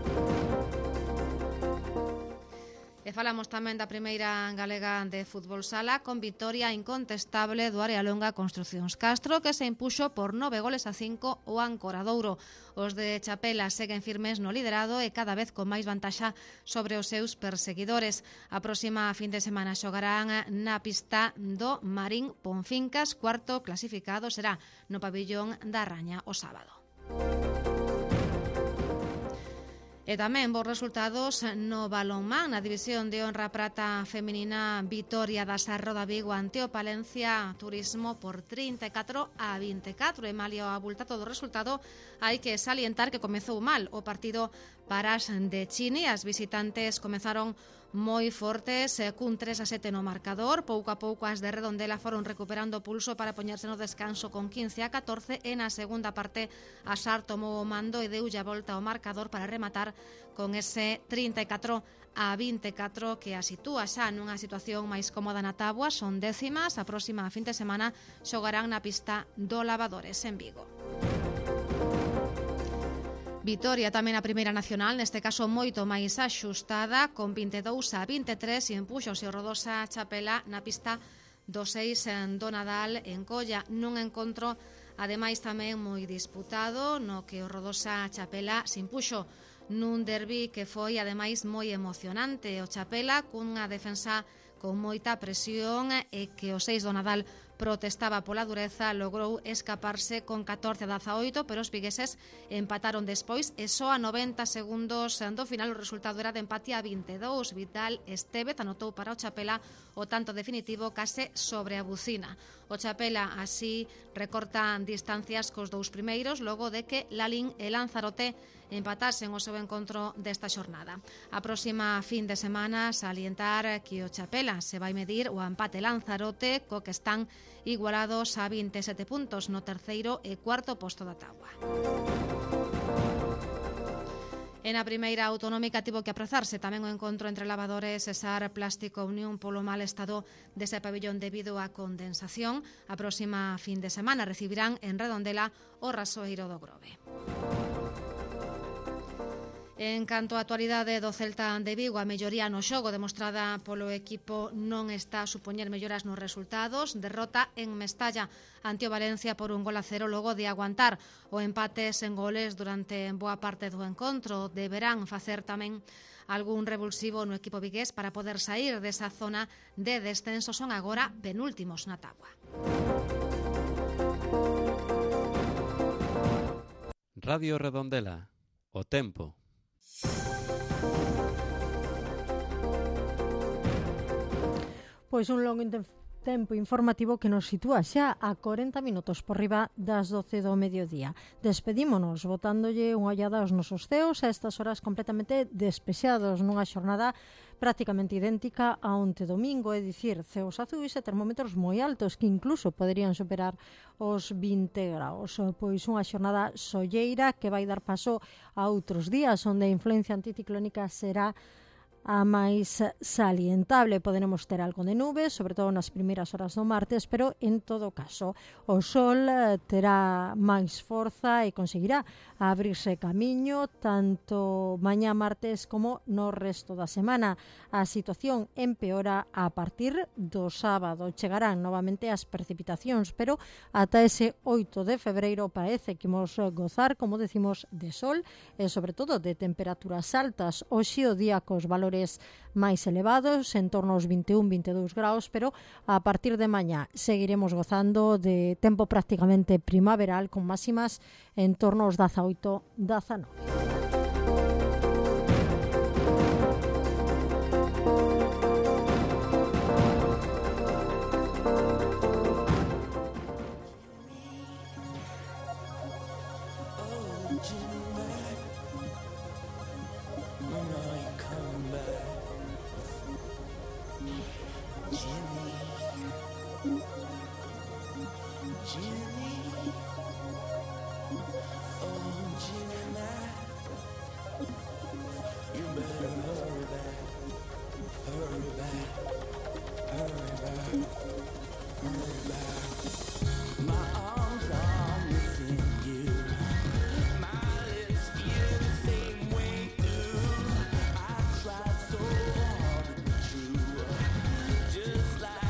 E falamos tamén da primeira galega de fútbol sala, con vitoria incontestable do Área Longa Construcións Castro, que se impuxo por 9-5 o Ancoradouro. Os de Chapela seguen firmes no liderado e cada vez con máis vantaxa sobre os seus perseguidores. A próxima fin de semana xogarán na pista do Marín Ponfincas. Cuarto clasificado será no pabillón da Raña o sábado. E tamén bons resultados no balonmán. Na división de honra prata feminina, vitoria da Sarroda Vigo ante o Palencia Turismo por 34-24. E malia o abultado do resultado, hai que salientar que comezou mal o partido para as de Chini. As visitantes comezaron moi fortes, cun 3-7 no marcador. Pouco a pouco as de Redondela foron recuperando pulso para poñerse no descanso con 15-14, e na segunda parte a Sar tomou o mando e deulle a volta ao marcador para rematar con ese 34-24 que a sitúa xa nunha situación máis cómoda na táboa. Son décimas. A próxima fin de semana xogarán na pista do Lavadores en Vigo. Vitoria tamén a Primeira Nacional, neste caso moito máis axustada, con 22-23, e empuxose o Rodosa Chapela na pista do 6 do Nadal en Colla, nun encontro ademais tamén moi disputado, no que o Rodosa Chapela se impuxo nun derbi que foi ademais moi emocionante. O Chapela cunha defensa con moita presión e que o 6 do Nadal protestaba pola dureza, logrou escaparse con 14-18, pero os vigueses empataron despois e só a 90 segundos do final o resultado era de empate a 22. Vital Estévez anotou para o Chapela o tanto definitivo case sobre a bucina. O Chapela así recorta distancias cos dous primeiros logo de que Lalín e Lanzarote empatasen o seu encontro desta xornada. A próxima fin de semana salientar que o Chapela se vai medir o empate Lanzarote, co que están igualados a 27 puntos no terceiro e cuarto posto da táboa. En a primeira autonómica tivo que aprazarse tamén o encontro entre Lavadores e Sar Plástico Unión polo mal estado dese pabellón debido á condensación. A próxima fin de semana recibirán en Redondela o Rasoeiro do Grove. En canto á actualidade do Celta de Vigo, a melloría no xogo demostrada polo equipo non está a supoñer melloras nos resultados. Derrota en Mestalla ante o Valencia por 1-0 logo de aguantar o empate sen goles durante boa parte do encontro. Deberán facer tamén algún revulsivo no equipo vigués para poder sair desa zona de descenso. Son agora penúltimos na táboa. Radio Redondela, o tempo. Pois un longo tempo informativo que nos sitúa xa a 40 minutos por riba das 12 do mediodía. Despedímonos botándolle unha ollada aos nosos ceos a estas horas completamente despexados nunha xornada prácticamente idéntica a onte domingo, é dicir, ceos azuis e termómetros moi altos que incluso poderían superar os 20 graus. Pois unha xornada solleira que vai dar paso a outros días onde a influencia anticiclónica será a máis salientable. Poderemos ter algo de nubes, sobre todo nas primeiras horas do martes, pero en todo caso o sol terá máis forza e conseguirá abrirse camiño tanto mañá martes como no resto da semana. A situación empeora a partir do sábado. Chegarán novamente as precipitacións, pero ata ese 8 de febreiro parece que imos gozar, como decimos, de sol e sobre todo de temperaturas altas. Hoxe o día cos valores máis elevados, en torno aos 21-22 graus, pero a partir de mañá seguiremos gozando de tempo prácticamente primaveral con máximas en torno aos 18-19. Just like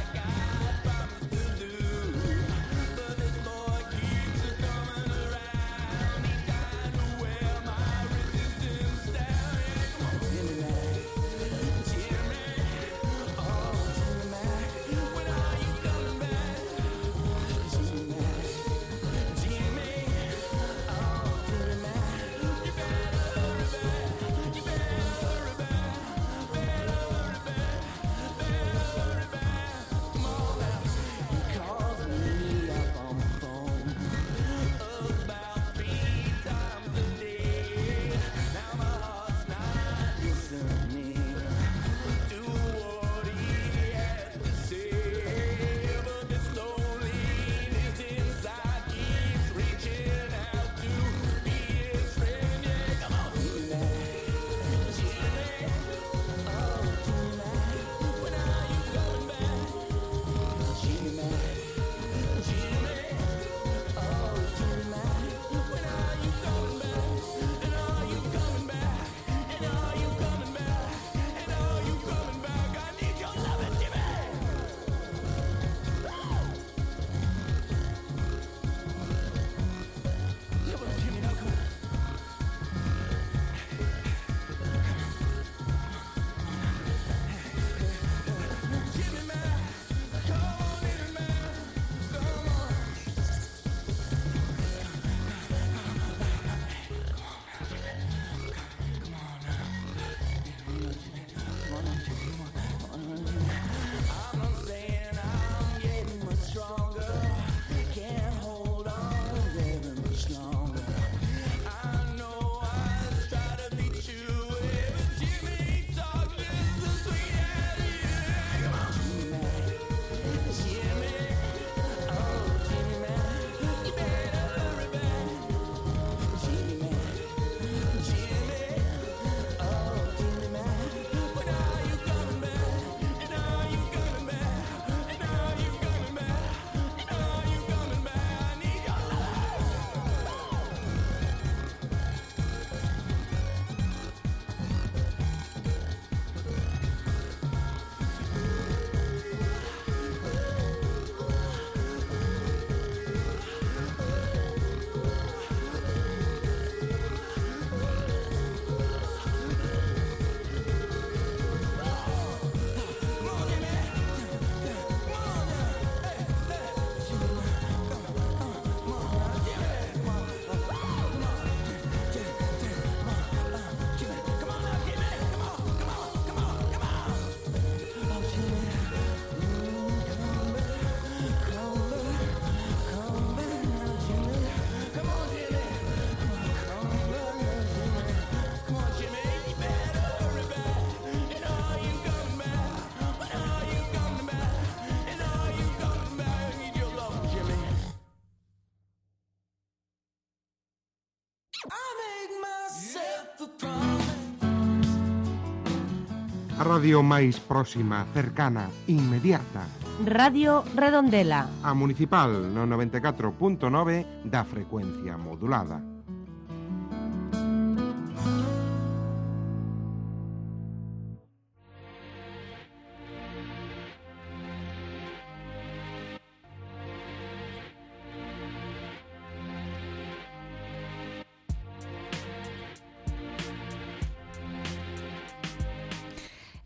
A radio máis próxima, cercana, inmediata. Radio Redondela. A Municipal no 94.9 da frecuencia modulada.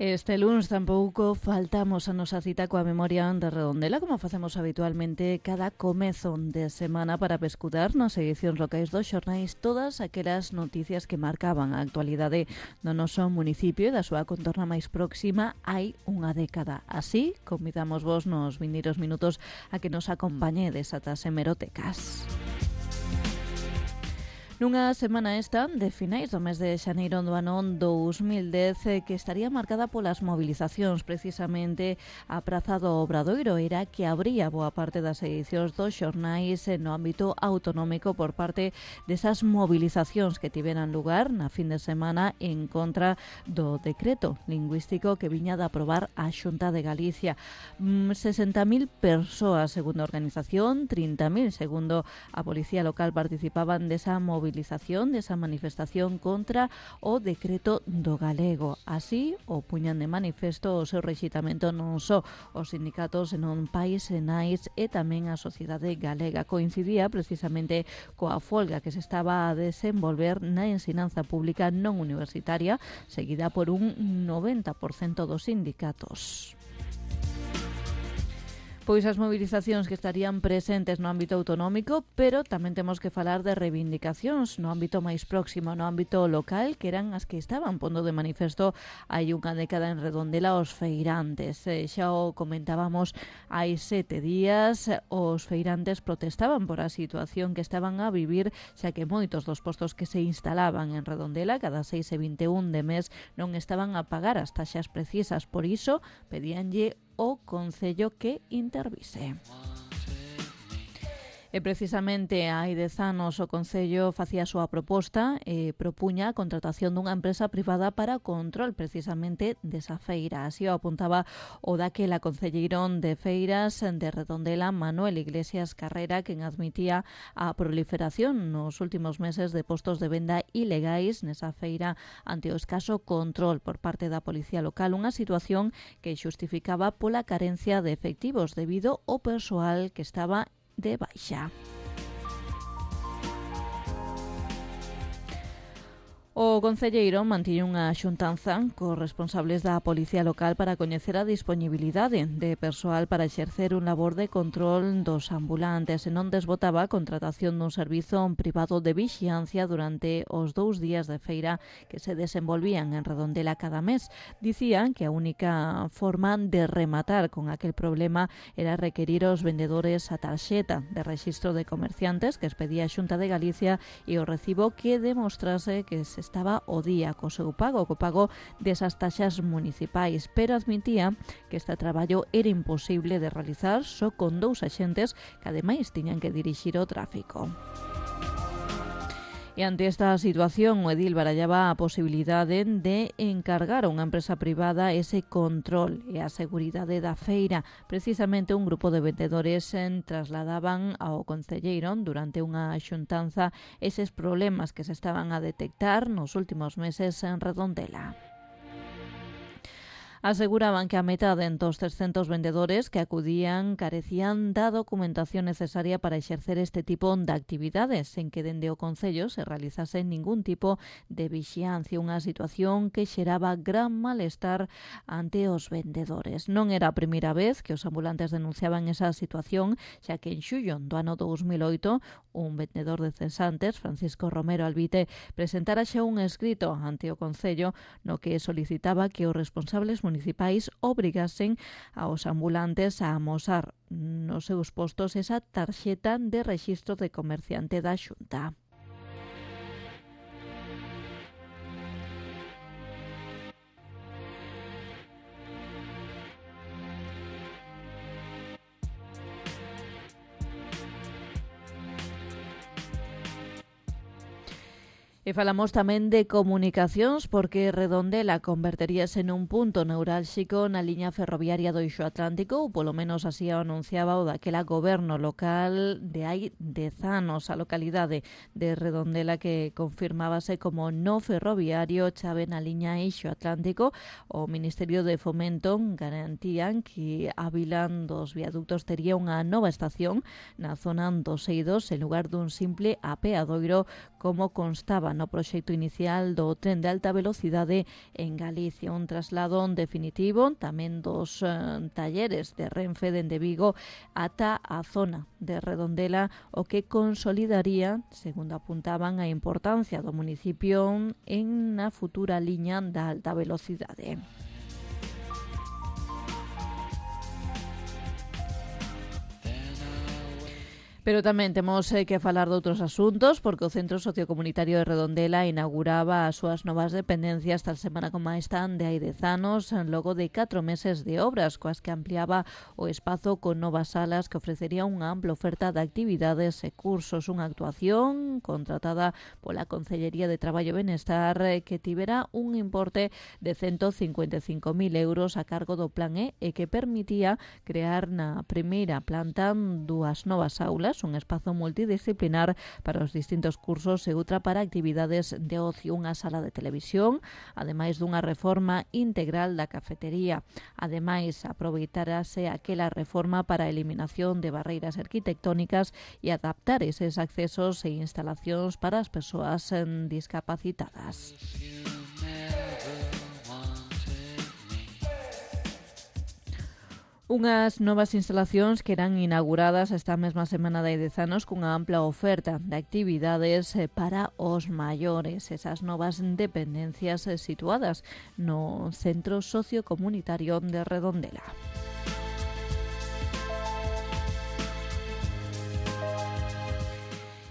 Este lunes tampouco faltamos a nosa cita coa memoria de Redondela, como facemos habitualmente cada comezo de semana para pescudar nas edicións locais dos xornais todas aquelas noticias que marcaban a actualidade do noso municipio e da súa contorna máis próxima hai unha década. Así, convidamos vos nos vindeiros minutos a que nos acompañedes ata as hemerotecas. Nunha semana esta de finais do mes de xaneiro do ano 2010 que estaría marcada polas movilizacións, precisamente a Praza do Obradoiro era que abría boa parte das edicións dos xornais no ámbito autonómico por parte desas movilizacións que tiveran lugar na fin de semana en contra do decreto lingüístico que viña de aprobar a Xunta de Galicia. 60.000 persoas, segundo a organización, 30.000 segundo a Policía Local participaban desa movilización, desa manifestación contra o decreto do galego. Así, o puñan de manifesto o seu rexitamento non só os sindicatos senón pais e nais e tamén a sociedade galega. Coincidía precisamente coa folga que se estaba a desenvolver na ensinanza pública non universitaria, seguida por un 90% dos sindicatos. Pois as movilizacións que estarían presentes no ámbito autonómico, pero tamén temos que falar de reivindicacións no ámbito máis próximo, no ámbito local, que eran as que estaban pondo de manifesto hai unha década en Redondela os feirantes. Xa o comentábamos hai 7 días, os feirantes protestaban por a situación que estaban a vivir, xa que moitos dos postos que se instalaban en Redondela cada 6 e 21 de mes non estaban a pagar as taxas precisas, por iso pedíanlle o Concello que intervise. E precisamente hai 10 anos o Concello facía a súa proposta e propuña a contratación dunha empresa privada para o control precisamente desa feira. Así o apuntaba o daquela concelleiro de feiras de Redondela, Manuel Iglesias Carrera, quen admitía a proliferación nos últimos meses de postos de venda ilegais nesa feira ante o escaso control por parte da Policía Local, unha situación que xustificaba pola carencia de efectivos debido ao persoal que estaba de baixa. O concelleiro mantiña unha xuntanza cos responsables da Policía Local para coñecer a disponibilidade de persoal para exercer un labor de control dos ambulantes e non desbotaba a contratación dun servizo privado de vixiancia durante os 2 días de feira que se desenvolvían en Redondela cada mes. Dicían que a única forma de rematar con aquel problema era requerir aos vendedores a tarxeta de rexistro de comerciantes que expedía a Xunta de Galicia e o recibo que demostrase que se estaba o día co seu pago, co pago desas taxas municipais, pero admitía que este traballo era imposible de realizar só con 2 axentes que ademais tiñan que dirixir o tráfico. E ante esta situación, o edil barallaba a posibilidade de encargar a unha empresa privada ese control e a seguridade da feira. Precisamente un grupo de vendedores trasladaban ao concelleiro durante unha xuntanza eses problemas que se estaban a detectar nos últimos meses en Redondela. Aseguraban que a metade dos 300 vendedores que acudían carecían da documentación necesaria para exercer este tipo de actividades, sen que dende o Concello se realizase ningún tipo de vixiancia, unha situación que xeraba gran malestar ante os vendedores. Non era a primeira vez que os ambulantes denunciaban esa situación, xa que en xullo do ano 2008 un vendedor de cesantes, Francisco Romero Albite, presentara xa un escrito ante o Concello no que solicitaba que os responsables municipais obrigasen aos ambulantes a amosar nos seus postos esa tarxeta de rexistro de comerciante da Xunta. E falamos tamén de comunicacións porque Redondela converteríase nun punto neurálxico na liña ferroviaria do Eixo Atlántico, ou polo menos así o anunciaba o daquela goberno local de hai 10 anos. A localidade de Redondela que confirmábase como no ferroviario chave na liña Eixo Atlántico. O Ministerio de Fomento garantían que a vila dos viaductos tería unha nova estación na zona dos Eidos en lugar dun simple apeadoiro como constaba no proxecto inicial do tren de alta velocidade en Galicia. Un traslado definitivo tamén dos talleres de Renfe dende Vigo ata a zona de Redondela, o que consolidaría, segundo apuntaban, a importancia do municipio en na futura liña da alta velocidade. Pero tamén temos que falar de outros asuntos, porque o Centro Sociocomunitario de Redondela inauguraba as súas novas dependencias tal semana como esta de hai 10 anos, logo de 4 meses de obras, coas que ampliaba o espazo con novas salas que ofrecería unha ampla oferta de actividades e cursos. Unha actuación contratada pola Concellería de Traballo e Benestar que tivera un importe de 155.000 euros a cargo do Plan E e que permitía crear na primeira planta 2 novas aulas, un espazo multidisciplinar para os distintos cursos e outra para actividades de ocio, unha sala de televisión, ademais dunha reforma integral da cafetería. Ademais, aproveitárase aquela reforma para a eliminación de barreiras arquitectónicas e adaptar eses accesos e instalacións para as persoas discapacitadas. Unhas novas instalacións que eran inauguradas esta mesma semana de 10 anos cunha ampla oferta de actividades para os maiores. Esas novas dependencias situadas no Centro Sociocomunitario de Redondela.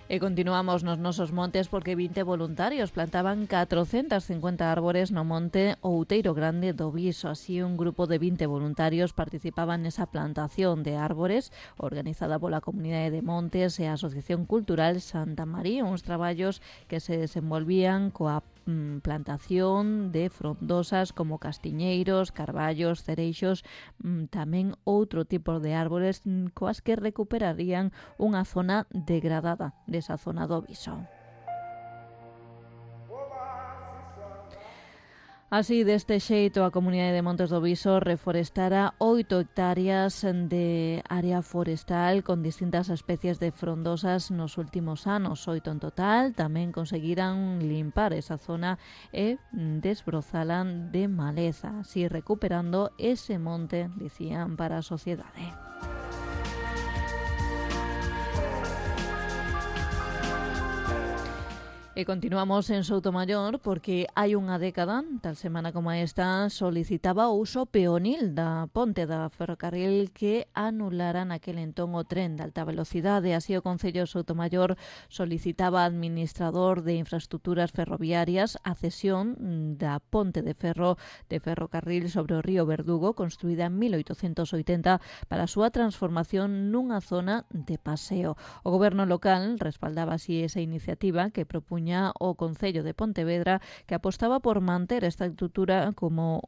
E continuamos nos nosos montes porque 20 voluntarios plantaban 450 árbores no monte Outeiro Grande do Viso. Así, un grupo de 20 voluntarios participaban nesa plantación de árbores organizada pola Comunidade de Montes e a Asociación Cultural Santa María, uns traballos que se desenvolvían coa plantación de frondosas como castiñeiros, carballos, cereixos, tamén outro tipo de árbores coas que recuperarían unha zona degradada desa zona do Viso. Así, deste xeito, a Comunidade de Montes do Viso reforestara 8 hectáreas de área forestal con distintas especies de frondosas nos últimos anos, 8 en total. Tamén conseguiran limpar esa zona e desbrozala de maleza, así recuperando ese monte, dicían, para a sociedade. E continuamos en Soutomaior porque hai unha década, tal semana como esta, solicitaba o uso peonil da ponte da ferrocarril que anulara naquele entón o tren de alta velocidade. Así, o Concello de Soutomaior solicitaba ao administrador de infraestructuras ferroviarias a cesión da ponte de ferrocarril sobre o río Verdugo, construída en 1880 para a súa transformación nunha zona de paseo. O goberno local respaldaba así esa iniciativa que propuña o Concello de Pontevedra, que apostaba por manter esta estrutura como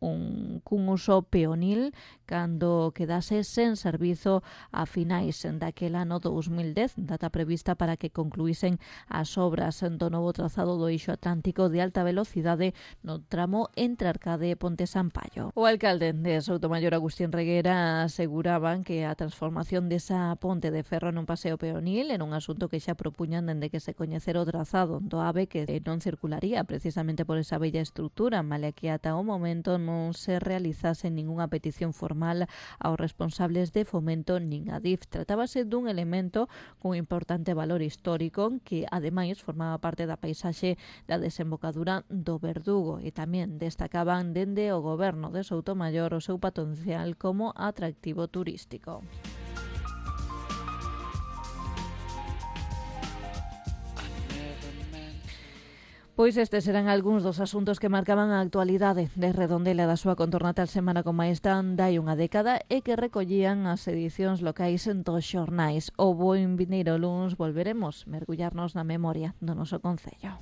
cun uso peonil cando quedase sen servizo a finais daquel ano 2010, data prevista para que concluísen as obras do novo trazado do Eixo Atlántico de alta velocidade no tramo entre Arcade e Ponte Sampaio. O alcalde de Soutomaior, Agustín Reguera, aseguraban que a transformación desa ponte de ferro nun paseo peonil era un asunto que xa propuñan dende que se coñecera o trazado do AVE, que non circularía precisamente por esa bella estrutura, malia que ata o momento non se realizase ningunha petición formal aos responsables de Fomento nin a DIF. Tratábase dun elemento cun importante valor histórico que, ademais, formaba parte da paisaxe da desembocadura do Verdugo, e tamén destacaban dende o goberno de Soutomaior o seu potencial como atractivo turístico. Pois estes eran algúns dos asuntos que marcaban a actualidade de Redondela da súa contorna tal semana como esta dai unha década e que recollían as edicións locais dos xornais. O bo vindeiro luns volveremos mergullarnos na memoria do noso concello.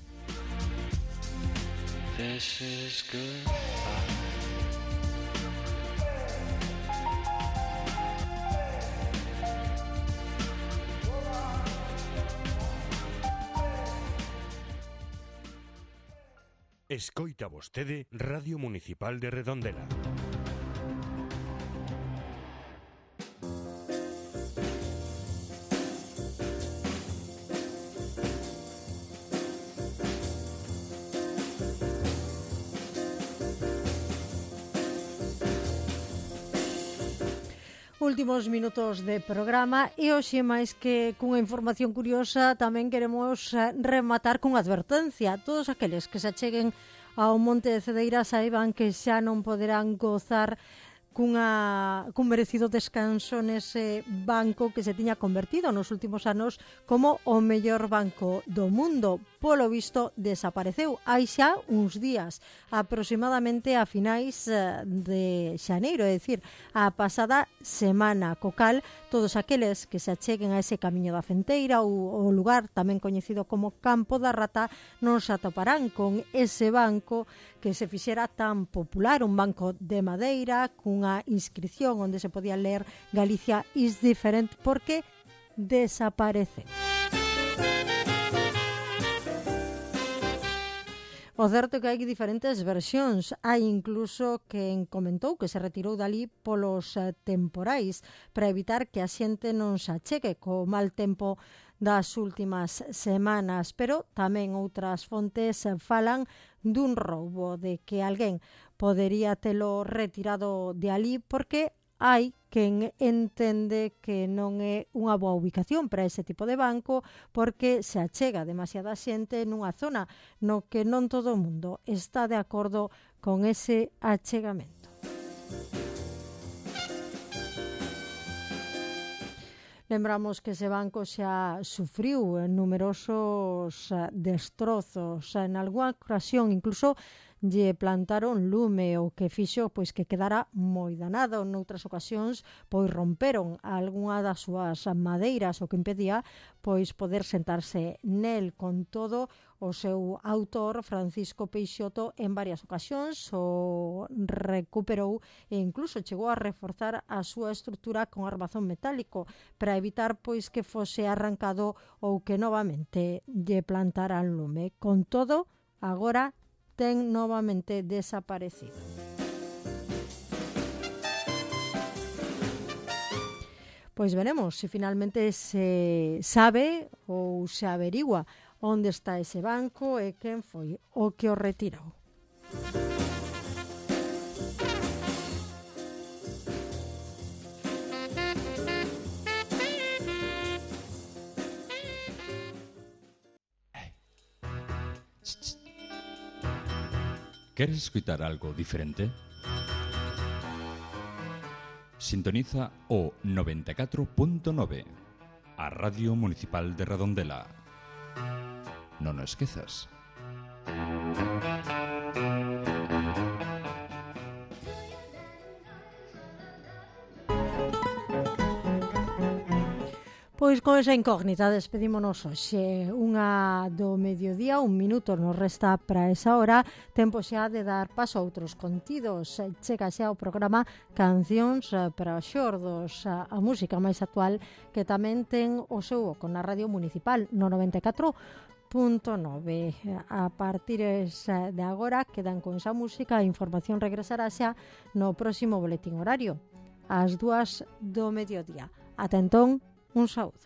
This is goodbye. Escoita vostede Radio Municipal de Redondela. Últimos minutos de programa e hoxe máis que cunha información curiosa tamén queremos rematar cunha advertencia. Todos aqueles que se acheguen ao Monte de Cedeira saiban que xa non poderán gozar cun merecido descanso nese banco que se tiña convertido nos últimos anos como o mellor banco do mundo. Polo visto, desapareceu hai xa uns días, aproximadamente a finais de xaneiro, é dicir, a pasada semana, co cal todos aqueles que se acheguen a ese camiño da Fenteira ou o lugar tamén coñecido como Campo da Rata non se atoparán con ese banco que se fixera tan popular, un banco de madeira cunha inscripción onde se podía ler Galicia is different, porque desaparece. O certo é que hai diferentes versións. Hai incluso quen comentou que se retirou dali polos temporais para evitar que a xente non se achegue co mal tempo das últimas semanas, pero tamén outras fontes falan dun roubo, de que alguén podería telo retirado de ali porque hai quen entende que non é unha boa ubicación para ese tipo de banco porque se achega demasiada xente nunha zona no que non todo o mundo está de acordo con ese achegamento. Lembramos que ese banco xa sufriu numerosos destrozos. En algunha ocasión incluso lle plantaron lume, o que fixo pois que quedara moi danado. Noutras ocasións pois romperon algunha das súas madeiras, o que impedía pois poder sentarse nel. Con todo, o seu autor, Francisco Peixoto, en varias ocasións o recuperou e incluso chegou a reforzar a súa estrutura con armazón metálico para evitar pois que fose arrancado ou que novamente lle plantaran lume. Con todo, agora ten novamente desaparecido. Pois veremos se finalmente se sabe ou se averigua onde está ese banco e quen foi o que o retirou. ¿Queres escutar algo diferente? Sintoniza o 94.9, a Radio Municipal de Redondela. Non o esquezas. Pois con esa incógnita despedímonos hoxe. Unha do mediodía, un minuto nos resta para esa hora. Tempo xa de dar paso a outros contidos. Chega xa o programa Cancións para os xordos, a música máis actual que tamén ten o seu oco na Radio Municipal no 94.9. A partir de agora quedan con esa música. A información regresará xa no próximo boletín horario ás 2 do mediodía. Ata entón, un saúdo.